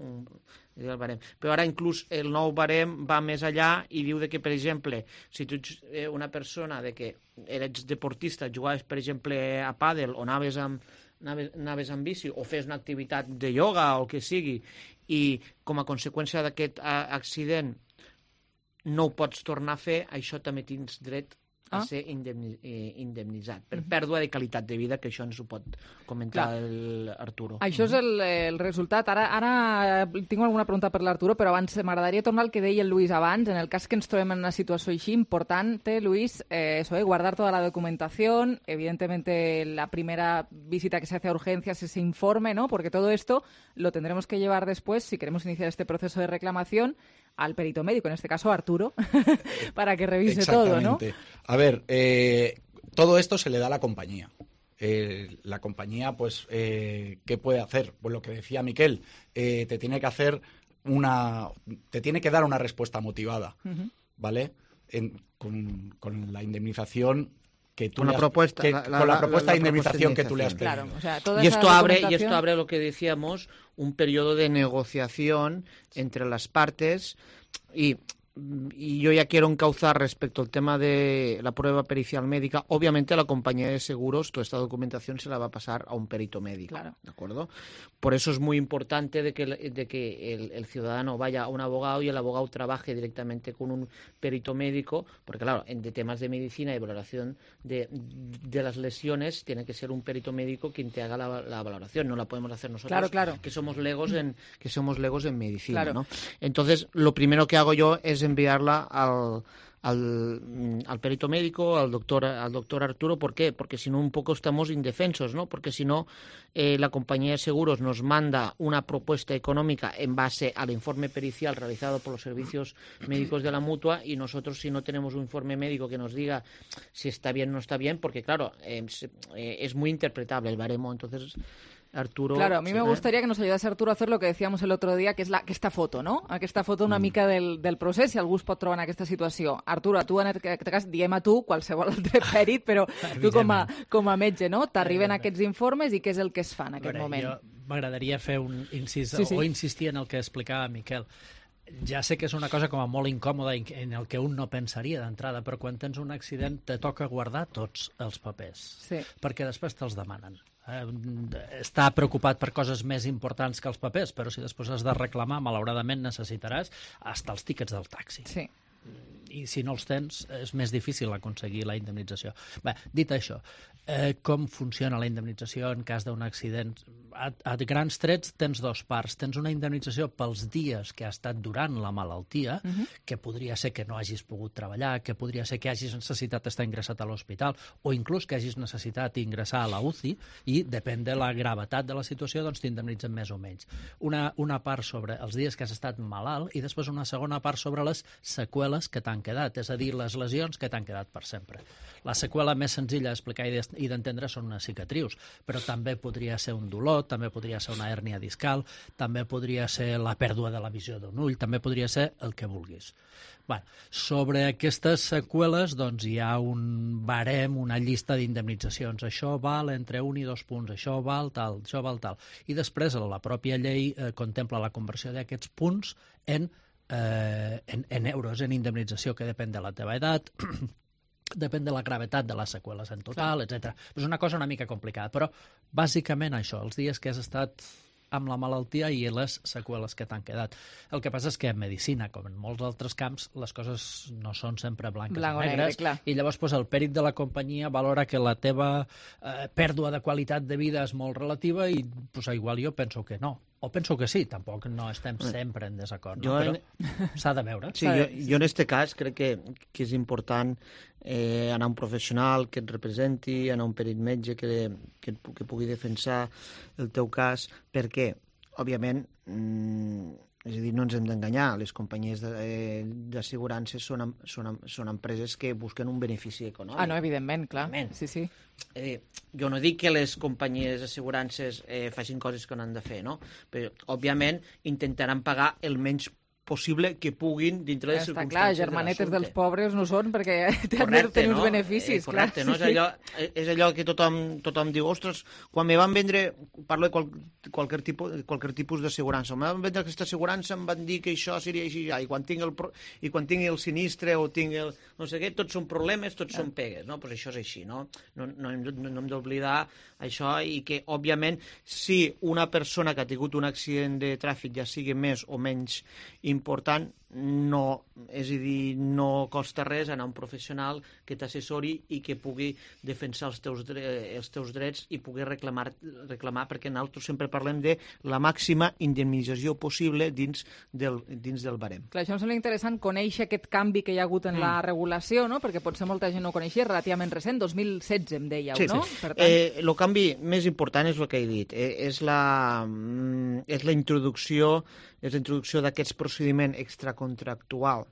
Però ara inclús el nou barem va més allà i diu que, per exemple, si tu ets una persona que eres deportista, jugaves, per exemple, a pàdel o anaves amb bici o fes una activitat de ioga o el que sigui i com a conseqüència d'aquest accident no ho pots tornar a fer, això també tens dret a ser indemnitzat per pèrdua de qualitat de vida, que això ens ho pot comentar l'Arturo. Això és el resultat. Ara tinc alguna pregunta per l'Arturo, però abans m'agradaria tornar al que deia el Luis abans. En el cas que ens trobem en una situació així, importante, Luis, guardar toda la documentación, evidentemente la primera visita que se hace a urgencias, ese informe, ¿no? Porque todo esto lo tendremos que llevar después, si queremos iniciar este proceso de reclamación, al perito médico, en este caso Arturo, para que revise todo, ¿no? A ver, todo esto se le da a la compañía. La compañía, pues, ¿qué puede hacer? Pues lo que decía Miquel, te tiene que dar una respuesta motivada, ¿vale? Con la indemnización que tú con la propuesta de indemnización que tú le has pedido. Claro, o sea, y esto abre lo que decíamos, un periodo de negociación entre las partes y yo ya quiero encauzar respecto al tema de la prueba pericial médica. Obviamente la compañía de seguros, toda esta documentación se la va a pasar a un perito médico, claro. ¿De acuerdo? Por eso es muy importante de que el ciudadano vaya a un abogado y el abogado trabaje directamente con un perito médico, porque claro, de temas de medicina y valoración de las lesiones tiene que ser un perito médico quien te haga la valoración, no la podemos hacer nosotros, claro. que somos legos en medicina, claro. ¿no? Entonces, lo primero que hago yo es enviarla al perito médico, al doctor Arturo. ¿Por qué? Porque si no un poco estamos indefensos, ¿no? Porque si no la compañía de seguros nos manda una propuesta económica en base al informe pericial realizado por los servicios médicos de la mutua y nosotros si no tenemos un informe médico que nos diga si está bien o no está bien, porque claro, es muy interpretable el baremo, entonces Arturo... Claro, a mí me gustaría que nos ayudase Arturo a hacer lo que decíamos el otro dia, que és aquesta foto, no? Aquesta foto una mica del procés, si algú es pot trobar en aquesta situació. Arturo, tu en aquest cas, diem a tu, qualsevol altre pèrit, però tu com a metge, no? T'arriben aquests informes i què és el que es fa en aquest moment? Jo m'agradaria fer un incís, o insistir en el que explicava Miquel. Ja sé que és una cosa com a molt incòmoda en el que un no pensaria d'entrada, però quan tens un accident te toca guardar tots els papers, perquè després te'ls demanen. Està preocupat per coses més importants que els papers, però si després has de reclamar, malauradament necessitaràs hasta els tíquets del taxi. Sí. i si no els tens és més difícil aconseguir la indemnització. Bé, dit això, com funciona la indemnització en cas d'un accident? A grans trets tens dos parts. Tens una indemnització pels dies que ha estat durant la malaltia, que podria ser que no hagis pogut treballar, que podria ser que hagis necessitat estar ingressat a l'hospital o inclús que hagis necessitat ingressar a la UCI i depèn de la gravetat de la situació doncs t'indemnitzen més o menys. Una part sobre els dies que has estat malalt i després una segona part sobre les seqüeles que t'han quedat, és a dir, les lesions que t'han quedat per sempre. La seqüela més senzilla d'explicar i d'entendre són unes cicatrius, però també podria ser un dolor, també podria ser una hèrnia discal, també podria ser la pèrdua de la visió d'un ull, també podria ser el que vulguis. Bé, sobre aquestes seqüeles doncs, hi ha un barem, una llista d'indemnitzacions. Això val entre 1 i 2 punts, això val tal, això val tal. I després la pròpia llei contempla la conversió d'aquests punts en euros, en indemnització, que depèn de la teva edat, depèn de la gravetat de les seqüeles en total, etc. És una cosa una mica complicada, però bàsicament això, els dies que has estat amb la malaltia i les seqüeles que t'han quedat. El que passa és que en medicina, com en molts altres camps, les coses no són sempre blanques o negres, i llavors el pèrit de la companyia valora que la teva pèrdua de qualitat de vida és molt relativa i igual jo penso que no. O penso que sí, tampoc no estem sempre en desacord, no? Però s'ha de veure. Sí, jo en aquest cas crec que és important anar a un professional que et representi, anar a un perit metge que pugui defensar el teu cas, perquè, òbviament, és a dir, no ens hem d'enganyar, les companyies d'assegurances són empreses que busquen un benefici econòmic. Ah, no, evidentment, clar. Sí. Jo no dic que les companyies d'assegurances facin coses que no han de fer, no? Però, òbviament, intentaran pagar el menys possible que puguin dintre de les circumstàncies de l'assumpte. Clar, germanetes dels pobres no són perquè han de tenir uns beneficis. Correcte, no? És allò que tothom diu, ostres, quan me van vendre, parlo de qualsevol tipus d'assegurança, me van vendre aquesta assegurança, em van dir que això seria així, i quan tingui el sinistre o tingui el no sé què, tots són problemes, tots són pegues, no? Doncs això és així, no? No hem d'oblidar això i que, òbviament, si una persona que ha tingut un accident de tràfic ja sigui més o menys important, és a dir, no costa res anar a un professional que t'assessori i que pugui defensar els teus drets i pugui reclamar, perquè nosaltres sempre parlem de la màxima indemnització possible dins del barem. Clar, això em sembla interessant conèixer aquest canvi que hi ha hagut en la regulació, no? Perquè potser molta gent no ho coneixia, relativament recent, 2016 em dèieu, no? Sí. El canvi més important és el que he dit, és la introducció d'aquest procediment extracontractual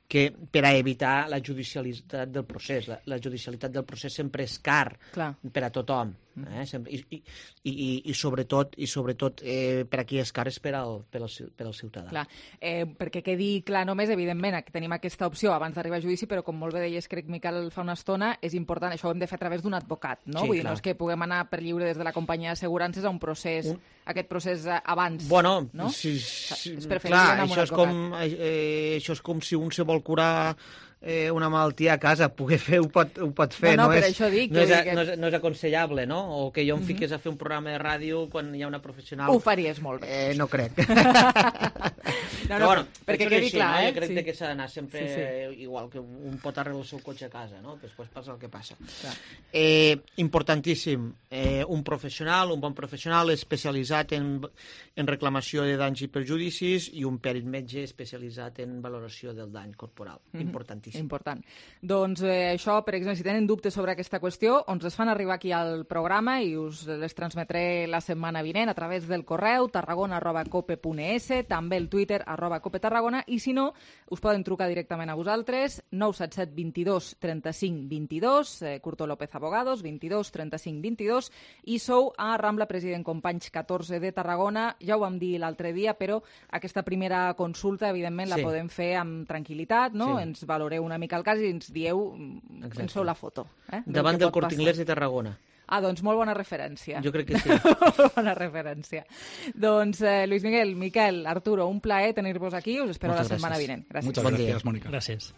que per a evitar la judicialitat del procés. La judicialitat del procés sempre és car per a tothom. I sobretot per a qui és car és per al ciutadà. Clar, perquè quedi clar només, evidentment, que tenim aquesta opció abans d'arribar a judici, però com molt bé deies, crec, Miquel, fa una estona, és important, això ho hem de fer a través d'un advocat, no? Vull dir, no és que puguem anar per lliure des de la companyia d'assegurances a un procés, aquest procés abans, no? Sí, és preferible anar amb un advocat. Això és com si un se vol curar una malaltia a casa, ho pot fer. No, per això dic. No és aconsellable, no? O que jo em fiqués a fer un programa de ràdio quan hi ha una professional... Ho faries molt bé. No crec. No, perquè quedi clar, Jo crec que s'ha d'anar sempre igual que un pot arreglar el seu cotxe a casa, no? Després passa el que passa. Importantíssim, un bon professional especialitzat en reclamació de danys i perjudicis i un perit metge especialitzat en valoració del dany corporal. Importantíssim. Important. Doncs això, per exemple, si tenen dubtes sobre aquesta qüestió, ens les fan arribar aquí al programa i us les transmetré la setmana vinent a través del correu tarragona@cope.es, també el Twitter @copetarragona, i si no, us poden trucar directament a vosaltres, 977 22 35 22, Curto López Abogados, 22 35 22, i sou a Rambla President Companys 14 de Tarragona. Ja ho vam dir l'altre dia, però aquesta primera consulta, evidentment, la podem fer amb tranquil·litat, no? Ens valoreu una mica el cas i ens dieu, ens feu la foto. Davant del Corte Inglés de Tarragona. Ah, doncs molt bona referència. Jo crec que sí. Bona referència. Doncs Luis Miguel, Miquel, Arturo, un plaer tenir-vos aquí. Us espero la setmana vinent. Gràcies. Muchas gracias, Mónica. Gràcies.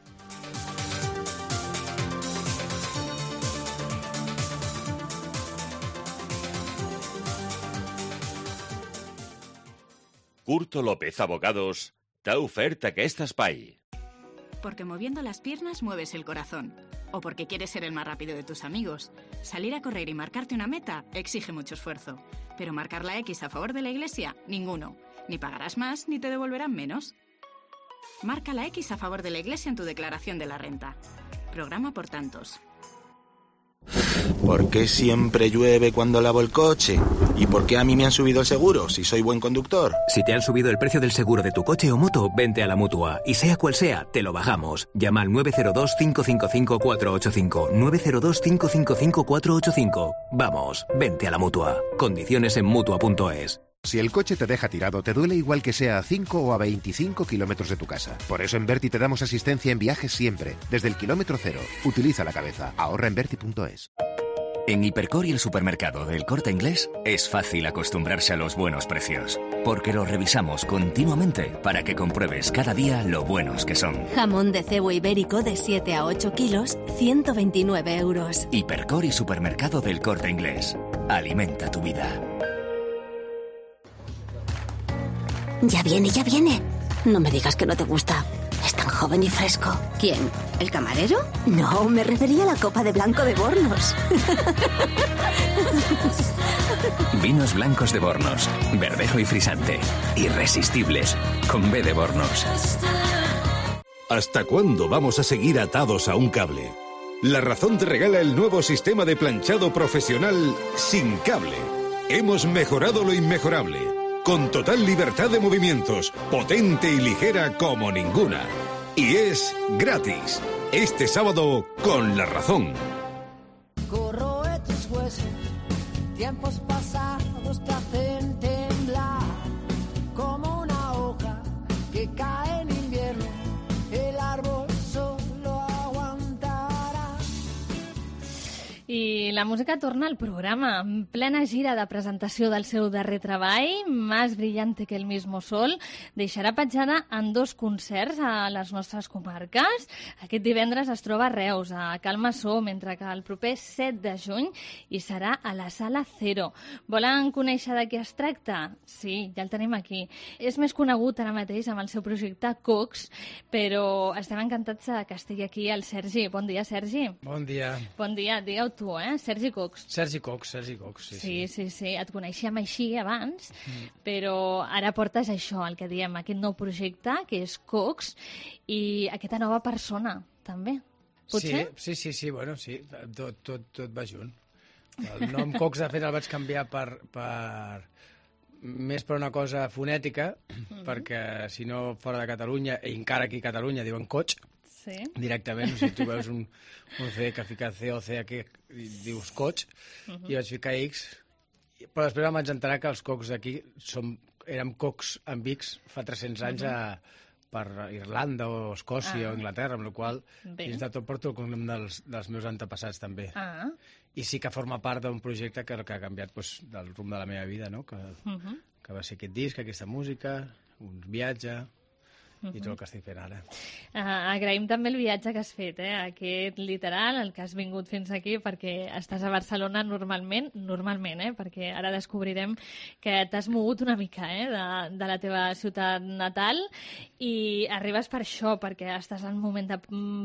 Curto López Abogados T'ha ofert aquest espai. Porque moviendo las piernas mueves el corazón. O porque quieres ser el más rápido de tus amigos. Salir a correr y marcarte una meta exige mucho esfuerzo. Pero marcar la X a favor de la Iglesia, ninguno. Ni pagarás más ni te devolverán menos. Marca la X a favor de la Iglesia en tu declaración de la renta. Programa por tantos. ¿Por qué siempre llueve cuando lavo el coche? ¿Y por qué a mí me han subido el seguro si soy buen conductor? Si te han subido el precio del seguro de tu coche o moto, vente a la Mutua. Y sea cual sea, te lo bajamos. Llama al 902-555-485. 902-555-485. Vamos, vente a la Mutua. Condiciones en Mutua.es. Si el coche te deja tirado, te duele igual que sea a 5 o a 25 kilómetros de tu casa. Por eso en Berti te damos asistencia en viajes siempre, desde el kilómetro cero. Utiliza la cabeza. Ahorra en Berti.es. En Hipercor y el supermercado del Corte Inglés es fácil acostumbrarse a los buenos precios, porque los revisamos continuamente para que compruebes cada día lo buenos que son. Jamón de cebo ibérico de 7 a 8 kilos, 129 euros. Hipercor y supermercado del Corte Inglés. Alimenta tu vida. Ya viene, ya viene. No me digas que no te gusta. Es tan joven y fresco. ¿Quién? ¿El camarero? No, me refería a la copa de blanco de Bornos. Vinos blancos de Bornos. Verdejo y frisante. Irresistibles. Con B de Bornos. ¿Hasta cuándo vamos a seguir atados a un cable? La Razón te regala el nuevo sistema de planchado profesional sin cable. Hemos mejorado lo inmejorable. Con total libertad de movimientos, potente y ligera como ninguna. Y es gratis. Este sábado con La Razón. Corroe tus huesos, tiempos pasados te hacen temblar. Como una hoja que cae en invierno, el árbol solo aguantará. I la música torna al programa, en plena gira de presentació del seu darrer treball, Más brillante que el mismo sol, deixarà petjada en 2 concerts a les nostres comarques. Aquest divendres es troba a Reus, a Cal Massó, mentre que el proper 7 de juny hi serà a la Sala Cero. Volen conèixer de què es tracta? Sí, ja el tenim aquí. És més conegut ara mateix amb el seu projecte Cox, però estem encantats que estigui aquí el Sergi. Bon dia, Sergi. Bon dia. Bon dia, digueu tu, Sergi Cox. Sergi Cox, sí. Sí. Et coneixíem així abans, però ara portes això, el que diem, aquest nou projecte, que és Cox, i aquesta nova persona, també. Potser? Sí, bueno, sí, tot va junt. El nom Cox, de fet, el vaig canviar més per una cosa fonètica, perquè si no fora de Catalunya, i encara aquí a Catalunya diuen Coch, directament, o sigui, tu veus un C que fica C aquí i dius Coch, i vaig ficar X, però després em vaig enterar que els cocs d'aquí érem cocs amb X fa 300 anys per Irlanda o Escòcia o Anglaterra, amb la qual dins de tot porto el cognom dels meus antepassats també. I sí que forma part d'un projecte que ha canviat del rumb de la meva vida, que va ser aquest disc, aquesta música, un viatge i tot el que estic fent ara. Agraïm també el viatge que has fet, aquest literal, el que has vingut fins aquí, perquè estàs a Barcelona normalment, perquè ara descobrirem que t'has mogut una mica de la teva ciutat natal i arribes per això, perquè estàs en un moment de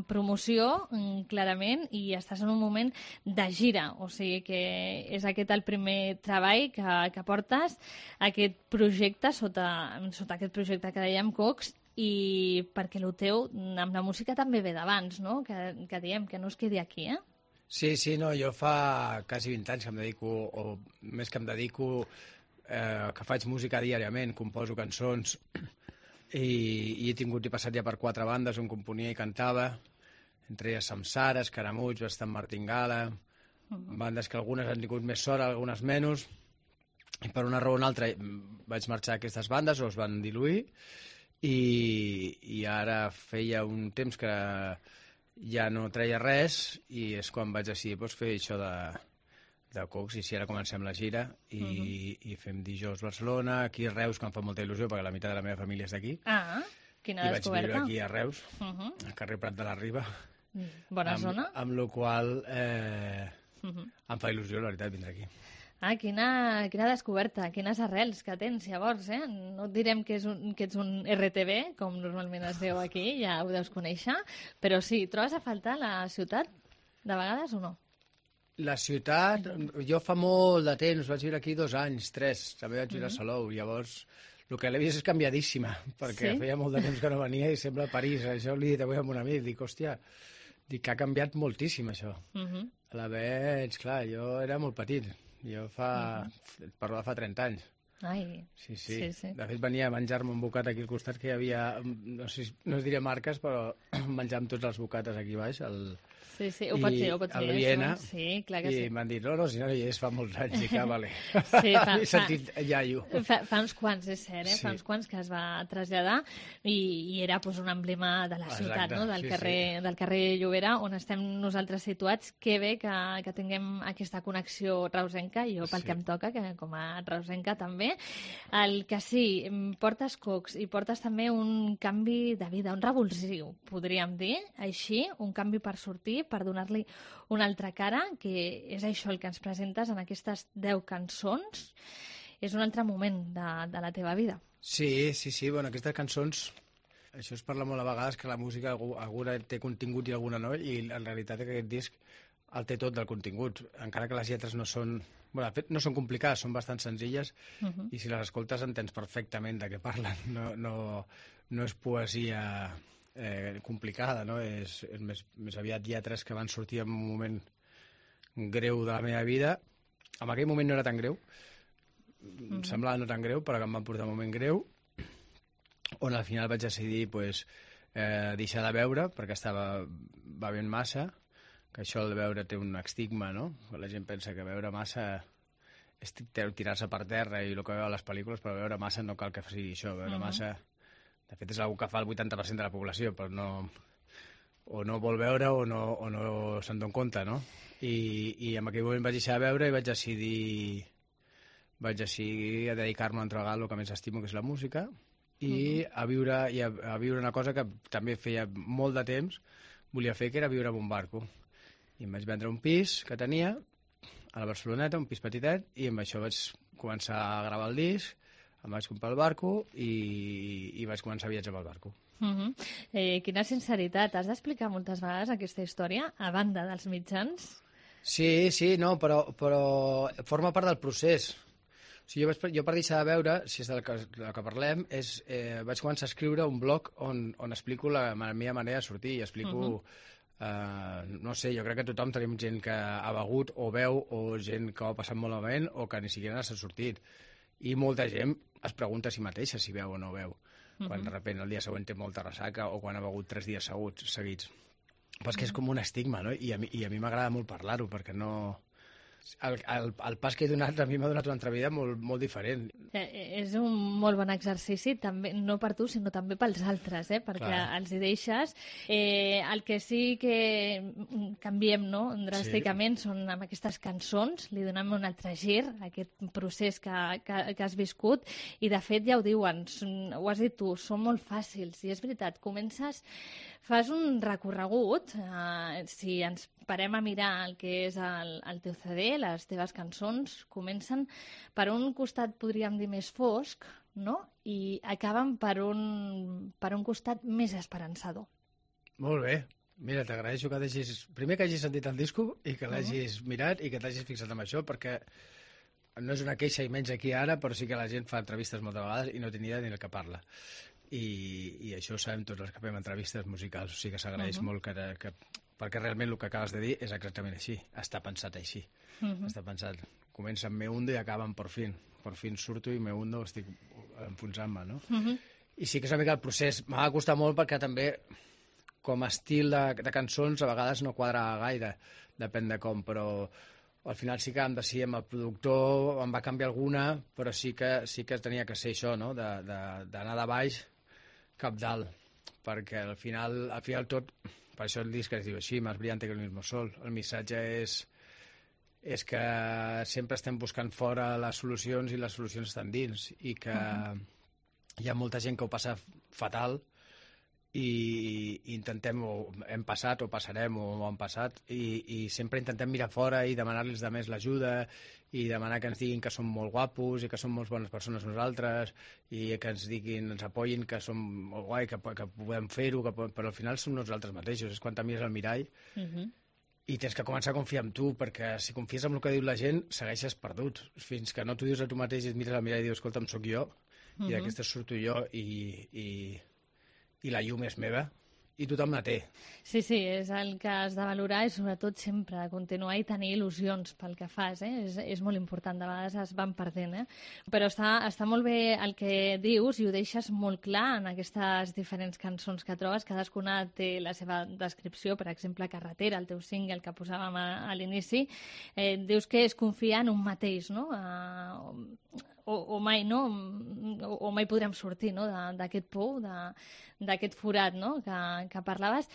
promoció, clarament, i estàs en un moment de gira, o sigui que és aquest el primer treball que portes, aquest projecte, sota aquest projecte que dèiem Cox, i perquè el teu amb la música també ve d'abans, no? Que diem, que no es quedi aquí, Sí, no, jo fa quasi 20 anys que em dedico, o més que em dedico, que faig música diàriament, composo cançons, i he tingut i passat ja per 4 bandes on componia i cantava, entre elles Samsara, Escaramuig, Bastant Martingala, bandes que algunes han tingut més sort, algunes menys, i per una raó o una altra vaig marxar a aquestes bandes o es van diluir, i ara feia un temps que ja no treia res i és quan vaig decidir fer això de Cox, i si ara comencem la gira i fem dijous Barcelona, aquí a Reus, que em fa molta il·lusió perquè la meitat de la meva família és d'aquí. Quina descoberta. I vaig viure aquí a Reus, al carrer Prat de la Riba. Bona zona. Amb la qual em fa il·lusió, la veritat, vindre aquí. Quina descoberta, quines arrels que tens, llavors, eh? No et direm que ets un RTV, com normalment es diu aquí, ja ho deus conèixer, però sí, trobes a faltar la ciutat, de vegades, o no? La ciutat, jo fa molt de temps, vaig viure aquí 2 anys, 3, també vaig viure a Salou, llavors el que l'he vist és canviadíssima, perquè feia molt de temps que no venia i sembla París, això l'he dit avui amb un amic, dic, hòstia, que ha canviat moltíssim això. A la veig, clar, jo era molt petit, jo parlo de fa 30 anys. Ai, sí. De fet, venia a menjar-me un bocat aquí al costat que hi havia, no es diria marques, però menjàvem tots els bocates aquí baix, Sí, ho pots dir, el Viena, sí, clar que sí. I m'han dit, no, si no hi és fa molts anys, i que vale. Sí, he sentit iaio. Fa uns quants, és cert, fa uns quants que es va traslladar i era un emblema de la ciutat, no? Del carrer Llobera, on estem nosaltres situats. Que bé que tinguem aquesta connexió reusenca, jo pel que em toca, que com a reusenca també. El que sí, portes cocs i portes també un canvi de vida, un revulsiu, podríem dir, així, un canvi per sortir, per donar-li una altra cara, que és això el que ens presentes en aquestes 10 cançons. És un altre moment de la teva vida. Sí, bueno, aquestes cançons, això es parla molt a vegades, que la música alguna té contingut i alguna no, i en realitat aquest disc el té tot del contingut, encara que les lletres no són... Bueno, de fet, no són complicades, són bastant senzilles, i si les escoltes entens perfectament de què parlen. No és poesia complicada, no? És més aviat lletres que van sortir en un moment greu de la meva vida. En aquell moment no era tan greu, em semblava no tan greu, però que em van portar un moment greu, on al final vaig decidir deixar de beure, perquè estava bevent massa, que això de beure té un estigma, no? La gent pensa que beure massa és tirar-se per terra i el que veu a les pel·lícules, però beure massa no cal que sigui això. Beure massa, de fet, és una que fa el 80% de la població, però o no vol veure o no se'n dona compte, no? I en aquell moment vaig deixar de beure i vaig decidir a dedicar-me a entregar el que més estimo, que és la música, i a viure una cosa que també feia molt de temps volia fer, que era viure en un barco. I em vaig vendre un pis que tenia a la Barceloneta, un pis petitet, i amb això vaig començar a gravar el disc, em vaig comprar el barco i vaig començar a viatjar amb el barco. Quina sinceritat. Has d'explicar moltes vegades aquesta història, a banda dels mitjans? Sí, no, però forma part del procés. O sigui, jo per deixar de veure, si és del que parlem, vaig començar a escriure un blog on explico la meva manera de sortir i explico... no sé, jo crec que tothom tenim gent que ha begut o veu, o gent que ho ha passat molt malament o que ni siquiera s'ha sortit. I molta gent es pregunta a si mateixa si veu o no veu. Quan de sobte el dia següent té molta ressaca o quan ha begut 3 dies seguits. Però és que és com un estigma, no? I a mi m'agrada molt parlar-ho, perquè no... El pas que he donat a mi m'ha donat una altra vida molt diferent. És un molt bon exercici, també, no per tu, sinó també pels altres, perquè els hi deixes. El que sí que canviem, no?, dràsticament, són amb aquestes cançons, li donem un altre gir a aquest procés que has viscut, i de fet ja ho diuen, ho has dit tu, són molt fàcils, i és veritat, fas un recorregut, si ens parem a mirar el que és el teu CD, les teves cançons comencen per un costat, podríem dir, més fosc, no? I acaben per un costat més esperançador. Molt bé. Mira, t'agraeixo que primer que hagis sentit el disco i que l'hagis mirat i que t'hagis fixat en això, perquè no és una queixa i menys aquí ara, però sí que la gent fa entrevistes moltes vegades i no té ni idea ni el que parla. I això ho sabem tots els que fem entrevistes musicals, o sigui que s'agraeix molt perquè realment el que acabes de dir és exactament així, està pensat així. Està pensat, comença amb Me Hundo i acaba amb Por fin. Por fin surto i Me Hundo, estic enfonsant-me, no? I sí que és una mica el procés. M'ha de costar molt perquè també, com a estil de cançons, a vegades no quadra gaire, depèn de com, però al final sí que vam decidir amb el productor, em va canviar alguna, però sí que tenia que ser això, no?, d'anar de baix cap dalt, perquè al final tot, per això el disc es diu així, Más brillante que el mismo sol. El missatge és que sempre estem buscant fora les solucions i les solucions estan dins, i que hi ha molta gent que ho passa fatal i intentem, o hem passat o passarem o han passat, i sempre intentem mirar fora i demanar-los de més l'ajuda i demanar que ens diguin que som molt guapos i que som molt bones persones nosaltres i que ens diguin, ens apoyin, que som molt guai, que podem fer-ho, però al final som nosaltres mateixos, és quan te mires al mirall i tens que començar a confiar en tu, perquè si confies en el que diu la gent segueixes perdut, fins que no t'ho dius a tu mateix i et mires al mirall i dius, escolta'm, sóc jo i d'aquesta surto jo i la llum és meva i tothom la té. Sí, és el que has de valorar i sobretot sempre continuar i tenir il·lusions pel que fas, és molt important, de vegades es van perdent, però està molt bé el que dius i ho deixes molt clar en aquestes diferents cançons que trobes, cadascuna té la seva descripció, per exemple Carretera, el teu single que posàvem a l'inici, dius que és confiar en un mateix, no? O mai, no? O mai podrem sortir, no? D'aquest pou, d'aquest forat, no? Que parlaves.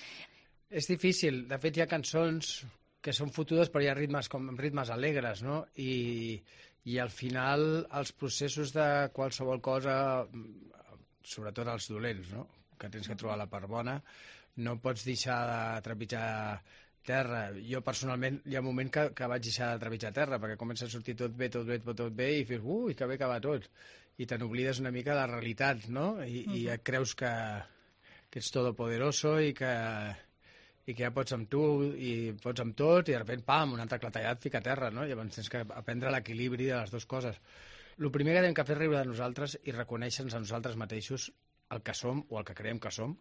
És difícil. De fet, hi ha cançons que són fotudes, però hi ha ritmes alegres, no? I al final els processos de qualsevol cosa, sobretot els dolents, no? Que tens que trobar la part bona, no pots deixar de trepitjar terra. Jo personalment hi ha un moment que vaig deixar de trepitjar terra perquè comença a sortir tot bé i fes, que bé que va tot, i te n'oblides una mica de la realitat, no? I et creus que ets todopoderoso i que ja pots amb tu i pots amb tot i de sobte, pam, un altre clatellat fica a terra, no? Llavors tens que aprendre l'equilibri de les dues coses. El primer que hem de fer riure de nosaltres i reconèixer-nos a nosaltres mateixos el que som o el que creiem que som.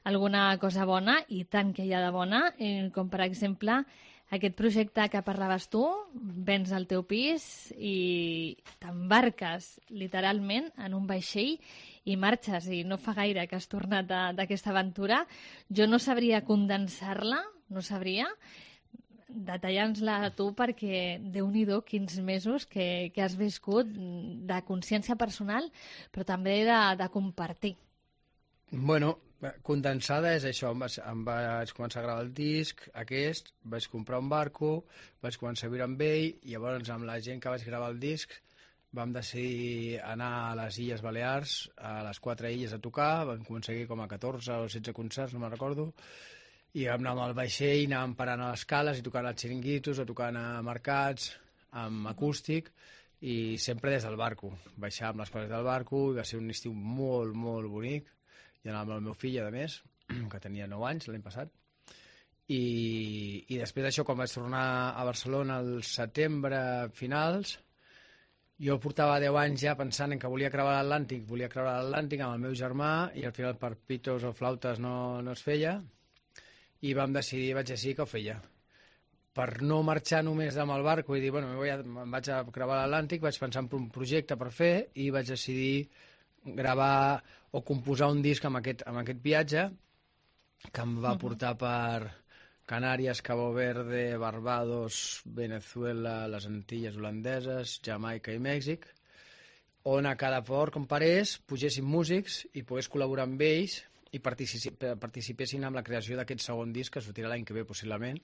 Alguna cosa bona, i tant que hi ha de bona, com per exemple aquest projecte que parlaves tu, vens al teu pis i t'embarques literalment en un vaixell i marxes, i no fa gaire que has tornat d'aquesta aventura. Jo no sabria condensar-la, no sabria, detallant-la a tu, perquè Déu-n'hi-do quins mesos que has viscut de consciència personal, però també de compartir. Bueno, condensada és això, em vaig començar a gravar el disc aquest, vaig comprar un barco, vaig començar a viure amb ell, i llavors amb la gent que vaig gravar el disc vam decidir anar a les Illes Balears, a les 4 illes a tocar, vam aconseguir com a 14 o 16 concerts, no me'n recordo, i vam anar amb el vaixell, anàvem parant a les cales i tocant als xiringuitos o tocant a mercats, amb acústic, i sempre des del barco. Baixàvem les coses del barco, i va ser un estiu molt, molt bonic, i anava amb el meu fill, a més, que tenia 9 anys l'any passat, i després d'això, quan vaig tornar a Barcelona al setembre finals, jo portava 10 anys ja pensant en que volia creuar l'Atlàntic amb el meu germà, i al final per pitos o flautes no es feia, i vaig decidir que ho feia. Per no marxar només amb el barco i dir, bueno, me'n vaig a creuar l'Atlàntic, vaig pensar en un projecte per fer i vaig decidir gravar o composar un disc amb aquest viatge que em va portar per Canàries, Cabo Verde, Barbados, Venezuela, les Antilles holandeses, Jamaica i Mèxic, on a cada port com parés pugéssim músics i pogués col·laborar amb ells i participessin en la creació d'aquest segon disc que sortirà l'any que ve possiblement,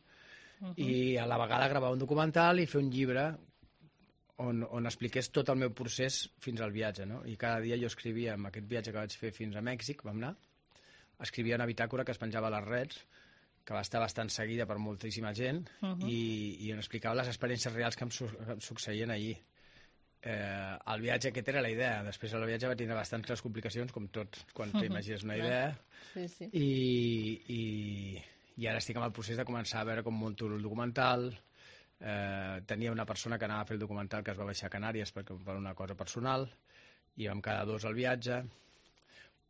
i a la vegada gravar un documental i fer un llibre on expliqués tot el meu procés fins al viatge, no? I cada dia jo escrivia, amb aquest viatge que vaig fer fins a Mèxic, vam anar, escrivia una bitàcora que es penjava a les rets, que va estar bastant seguida per moltíssima gent, i on explicava les experiències reals que em succeïen allí. El viatge aquest era la idea, després el viatge va tindre bastantes complicacions, com tot quan t'imagines una idea, i ara estic en el procés de començar a veure com munto el documental. Tenia una persona que anava a fer el documental que es va baixar a Canàries per una cosa personal, i vam quedar 2 al viatge,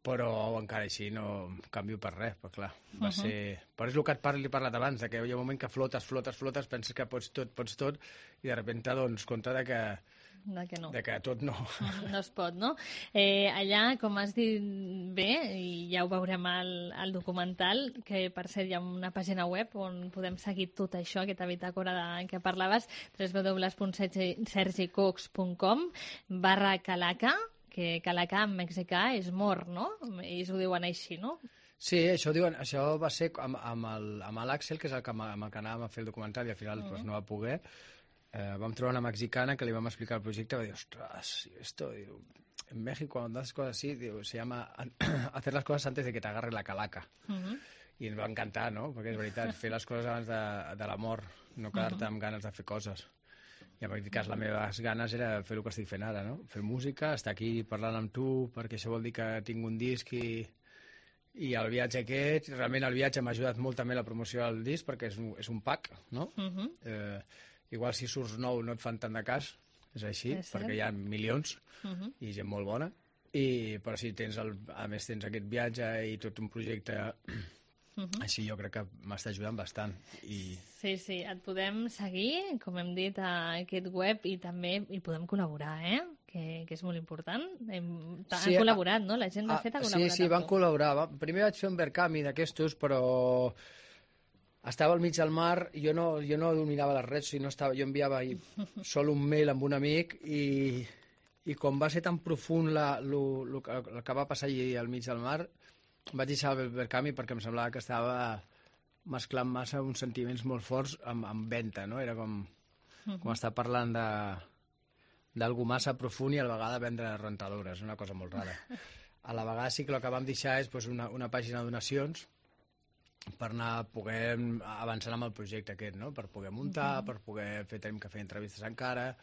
però encara així no canvio per res, però clar, va ser... Però és el que he parlat abans, que hi ha un moment que flotes, penses que pots tot, i de sobte t'adones compte de que tot no. No es pot, no? Allà, com has dit bé, i ja ho veurem al documental, que per cert hi ha una pàgina web on podem seguir tot això, aquesta bitàcora que parlaves, www.sergicox.com/Calaca, que Calaca en mexicà és mort, no? Ells ho diuen així, no? Sí, això va ser amb l'Àxel, que és amb el que anàvem a fer el documental, i al final no va poder. Vam trobar una mexicana que li vam explicar el projecte, va dir, ostres, esto en México cuando haces cosas así, se llama hacer las cosas antes de que te agarre la calaca. I ens va encantar, no? Perquè és veritat, fer les coses abans de la mort, no quedar-te amb ganes de fer coses. I en aquest cas, les meves ganes era fer el que estic fent ara, no? Fer música, estar aquí parlant amb tu, perquè això vol dir que tinc un disc i el viatge aquest, realment el viatge m'ha ajudat molt també a la promoció del disc, perquè és un pack, no? Igual si surts nou no et fan tant de cas, és així, perquè hi ha milions i gent molt bona, però si tens, a més tens aquest viatge i tot un projecte... Així jo crec que m'està ajudant bastant. Sí, et podem seguir, com hem dit, a aquest web i també hi podem col·laborar, que és molt important. Han col·laborat, no? La gent de fet ha col·laborat. Sí, van col·laborar. Primer vaig fer un Verkami d'aquestos, però estava al mig del mar, jo no dominava les redes, jo enviava sol un mail amb un amic i com va ser tan profund el que va passar allà al mig del mar, vaig deixar el Verkami perquè em semblava que estava mesclant massa uns sentiments molt forts amb venta, no? Era com estar parlant d'algú massa profund i a la vegada vendre rentadores, una cosa molt rara. A la vegada sí que el que vam deixar és una pàgina de donacions per anar poder avançar amb el projecte aquest, no? Per poder muntar, per poder tenim que fer entrevistes encara,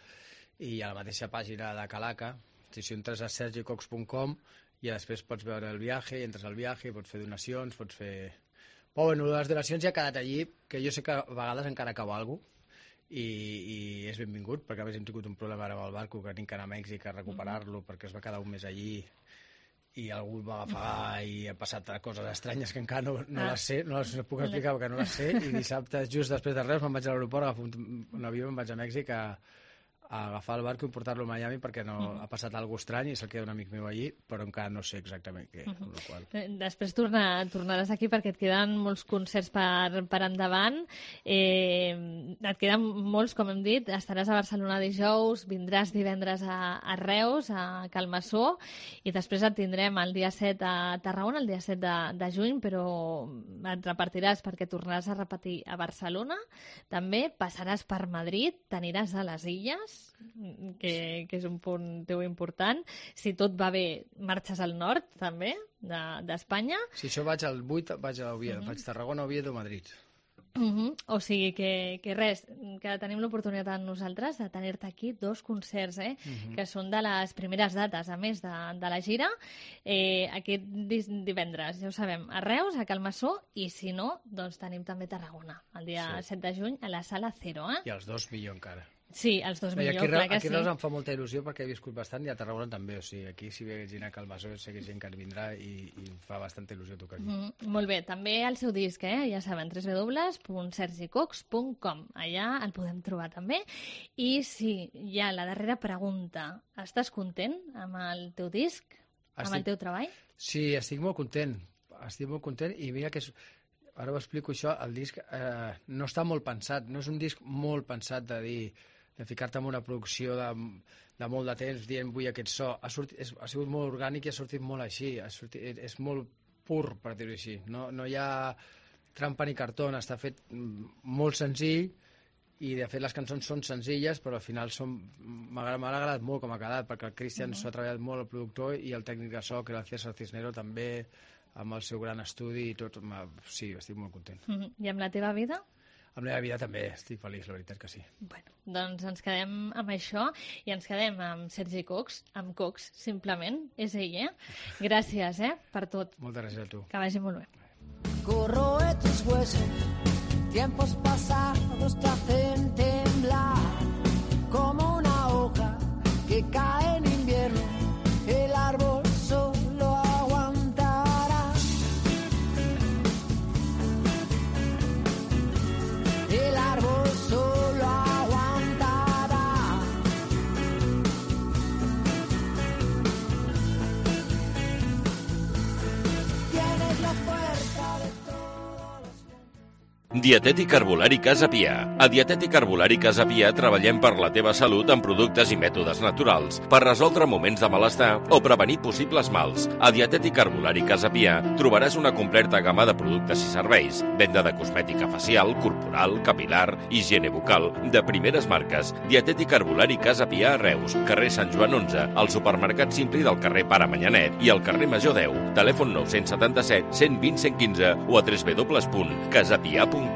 i a la mateixa pàgina de Calaca, si entres a sergicox.com, i després pots veure el viatge, i entres al viatge i pots fer donacions, pots fer... Però bueno, les donacions ja ha quedat allí, que jo sé que a vegades encara cau alguna cosa, i és benvingut, perquè a més hem tingut un problema ara amb el barco, que tinc que anar a Mèxic a recuperar-lo, perquè es va quedar un mes allí, i algú el va agafar i ha passat coses estranyes que encara no les sé, no les puc explicar perquè no les sé, i dissabte, just després de Reus, me'n vaig a l'aeroport, agafo un avió i me'n vaig a Mèxic a agafar el barco i portar-lo a Miami perquè ha passat alguna cosa estrany i se'l queda un amic meu allí, però encara no sé exactament què. Després tornaràs aquí perquè et queden molts concerts per endavant. Et queden molts, com hem dit. Estaràs a Barcelona dijous, vindràs divendres a Reus, a Calmassó, i després et tindrem el dia 7 a Tarragona, el dia 7 de juny, però et repartiràs perquè tornaràs a repetir a Barcelona. També passaràs per Madrid, t'aniràs a les Illes, que és un punt teu important. Si tot va bé, marxes al nord, també, d'Espanya. Si això vaig al 8, vaig a Oviedo, faig Tarragona, Oviedo, Madrid. O sigui que res, que tenim l'oportunitat nosaltres de tenir-te aquí 2 concerts, que són de les primeres dates, a més de la gira. Aquest divendres, ja ho sabem, a Reus, a Calmassó, i si no, doncs tenim també Tarragona, el dia 7 de juny, a la Sala Cero. I els 2 millor encara. Sí, els 2 millor, clar que sí. Aquí Reus em fa molta il·lusió perquè he viscut bastant, i a Tarragona també, o sigui, aquí si ve gent a Calmassó sé que gent que vindrà i em fa bastanta il·lusió tocar aquí. Molt bé, també el seu disc, ja saben, www.sergicox.com, allà el podem trobar també. I sí, ja la darrera pregunta, estàs content amb el teu disc, amb el teu treball? Sí, estic molt content, i mira que ara ho explico això, el disc no està molt pensat, no és un disc molt pensat de ficar-te en una producció de molt de temps dient vull aquest so. Ha sigut molt orgànic i ha sortit molt així. És molt pur, per dir-ho així. No hi ha trampa ni cartó, està fet molt senzill i de fet les cançons són senzilles, però al final m'ha agradat molt com ha quedat, perquè el Cristian s'ho ha treballat molt, el productor, i el tècnic de so, que era el César Cisnero, també, amb el seu gran estudi i tot. Sí, estic molt content. I amb la teva vida? Amb la meva vida també estic feliç, la veritat que sí. Bueno, doncs ens quedem amb això i ens quedem amb Sergi Cox, amb Cox, simplement, és ell, Gràcies, per tot. Moltes gràcies a tu. Que vagi molt bé. Corroe tus huesos, tiempos pasados te hacen temblar como una hoja que cae en invierno, el árbol solo aguantará. El árbol solo aguantará. Tienes la fuerza de todos los... Dietètic Herbolari Casa Pia. A Dietètic Herbolari Casa Pia treballem per la teva salut amb productes i mètodes naturals, per resoldre moments de malestar o prevenir possibles mals. A Dietètic Herbolari Casa Pia trobaràs una completa gamma de productes i serveis, venda de cosmètica facial, corporal, capilar, higiene bucal, de primeres marques. Dietètic Herbolari Casa Pia a Reus, carrer Sant Joan 11, al supermercat Simpli del carrer Pare Manyanet i al carrer Major 10. Telèfon 977 120 115 o a www.casapia.com.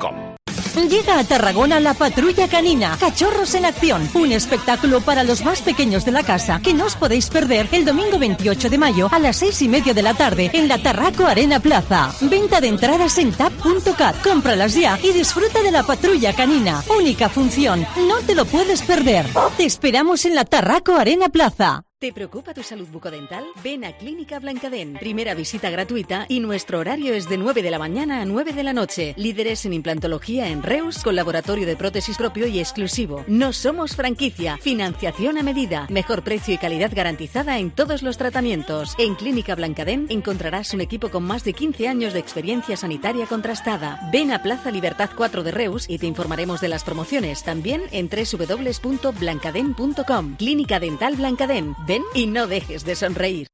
Llega a Tarragona la Patrulla Canina, Cachorros en Acción, un espectáculo para los más pequeños de la casa que no os podéis perder el domingo 28 de mayo a las 6:30 de la tarde en la Tarraco Arena Plaza. Venta de entradas en tap.cat. Cómpralas ya y disfruta de la Patrulla Canina. Única función, no te lo puedes perder. Te esperamos en la Tarraco Arena Plaza. ¿Te preocupa tu salud bucodental? Ven a Clínica Blancadén. Primera visita gratuita y nuestro horario es de 9 de la mañana a 9 de la noche. Líderes en implantología en Reus con laboratorio de prótesis propio y exclusivo. No somos franquicia. Financiación a medida. Mejor precio y calidad garantizada en todos los tratamientos. En Clínica Blancadén encontrarás un equipo con más de 15 años de experiencia sanitaria contrastada. Ven a Plaza Libertad 4 de Reus y te informaremos de las promociones. También en www.blancadén.com. Clínica Dental Blancadén. Ven y no dejes de sonreír.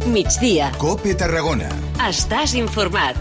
Migdia. COPE Tarragona. Estàs informat.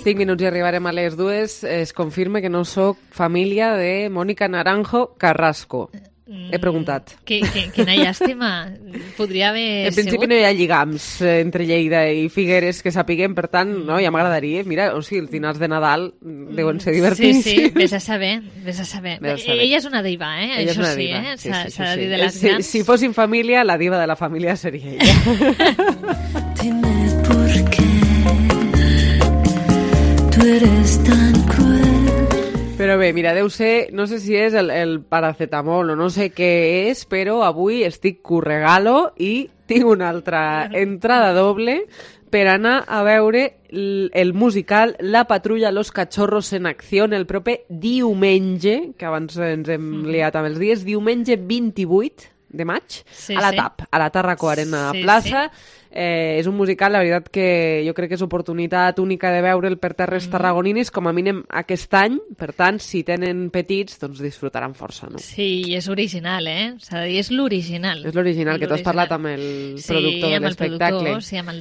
Cinc minuts i arribarem a les 2. Es confirma que no sóc família de Mónica Naranjo Carrasco. He preguntat. Quina llàstima. Podria haver En principi no hi ha lligams entre Lleida i Figueres que sapiguem, per tant, no, ja m'agradaria. Mira, o sigui, els dinars de Nadal deuen ser divertits. Sí, vés a saber, vés a saber. Ella és una diva, Ella això sí, s'ha de dir de les grans. Si fossin família, la diva de la família seria ella. Dime por qué tú eres tan cruel. Però bé, mira, deu ser, no sé si és el paracetamol o no sé què és, però avui estic curregalo i tinc una altra entrada doble per anar a veure el musical La Patrulla Los Cachorros en Acció el proper diumenge, que abans ens hem liat amb els dies, diumenge 28 de maig, a la TAP, a la Tarraco Arena Plaça. És un musical, la veritat que jo crec que és oportunitat única de veure'l per terres tarragoninis, com a mínim aquest any, per tant, si tenen petits, doncs disfrutaran força, no? Sí, i és original, S'ha de dir, és l'original. És l'original, que tu has parlat amb el productor de l'espectacle. Sí, amb el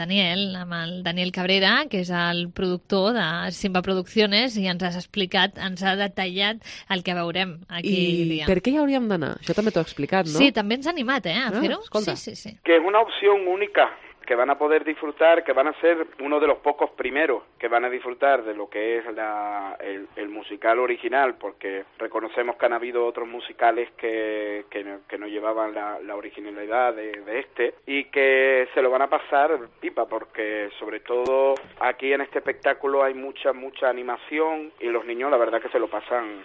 Daniel Cabrera, que és el productor de Simba Producciones, i ens has explicat, ens ha detallat el que veurem aquí. I per què hi hauríem d'anar? Això també t'ho he explicat, no? Sí, també ens ha animat, a fer-ho. Sí. Que es una opción única que van a poder disfrutar, que van a ser uno de los pocos primeros que van a disfrutar de lo que es el musical original, porque reconocemos que han habido otros musicales que no llevaban la originalidad de este, y que se lo van a pasar pipa, porque sobre todo aquí en este espectáculo hay mucha animación y los niños la verdad que se lo pasan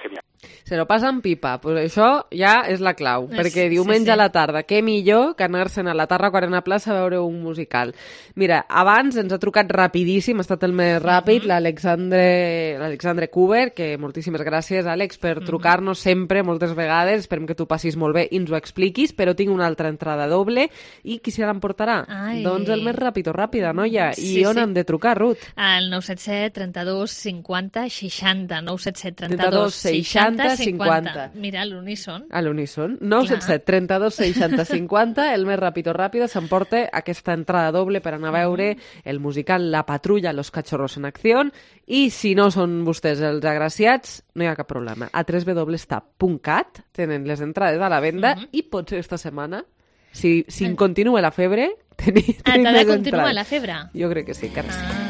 genial. Se lo passen pipa, pues això ja és la clau, perquè diumenge a la tarda, què millor que anar-se'n a la Tarraco Arena Plaça a veure un musical. Mira, abans ens ha trucat rapidíssim, ha estat el més ràpid, l'Alexandre Cuber, que moltíssimes gràcies, Àlex, per trucar-nos sempre, moltes vegades, esperem que tu passis molt bé i ens ho expliquis, però tinc una altra entrada doble, i qui se l'emportarà? Doncs el més ràpid o ràpida, noia. I on han de trucar, Ruth? Al 977 32 50 60, 977 32 60 50. Mira, a l'uníson. A l'uníson. 977 32 60 50, el més ràpid o ràpida s'emporta aquesta entrada doble per anar a veure el musical La Patrulla Los Cachorros en Acció, i si no són vostès els agraciats, no hi ha cap problema. A www.tap.cat tenen les entrades a la venda i potser esta setmana, si continua la febre, tenim més entrades. T'ha de continuar la febre? Jo crec que sí, encara sí.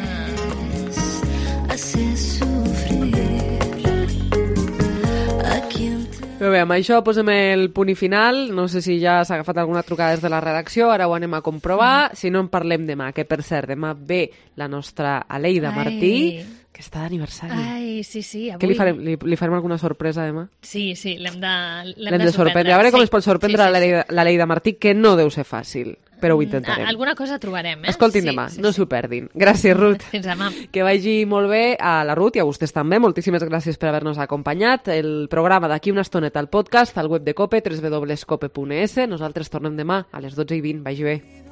Però bé, amb això posem el punt i final. No sé si ja s'ha agafat alguna trucada des de la redacció, ara ho anem a comprovar. Si no, en parlem demà, que per cert, demà ve la nostra Aleida Martí, que està d'aniversari. Sí. Què li farem? Li farem alguna sorpresa demà? Sí, l'hem de sorprendre. A veure com es pot sorprendre l'Aleida Martí, que no deu ser fàcil. però ho intentarem. Alguna cosa trobarem, Escoltin demà, no s'ho perdin. Gràcies, Ruth. Fins demà. Que vagi molt bé a la Ruth i a vostès també. Moltíssimes gràcies per haver-nos acompanyat. El programa d'aquí una estoneta al podcast, al web de COPE, www.cope.es. Nosaltres tornem demà a les 12:20. Vagi bé.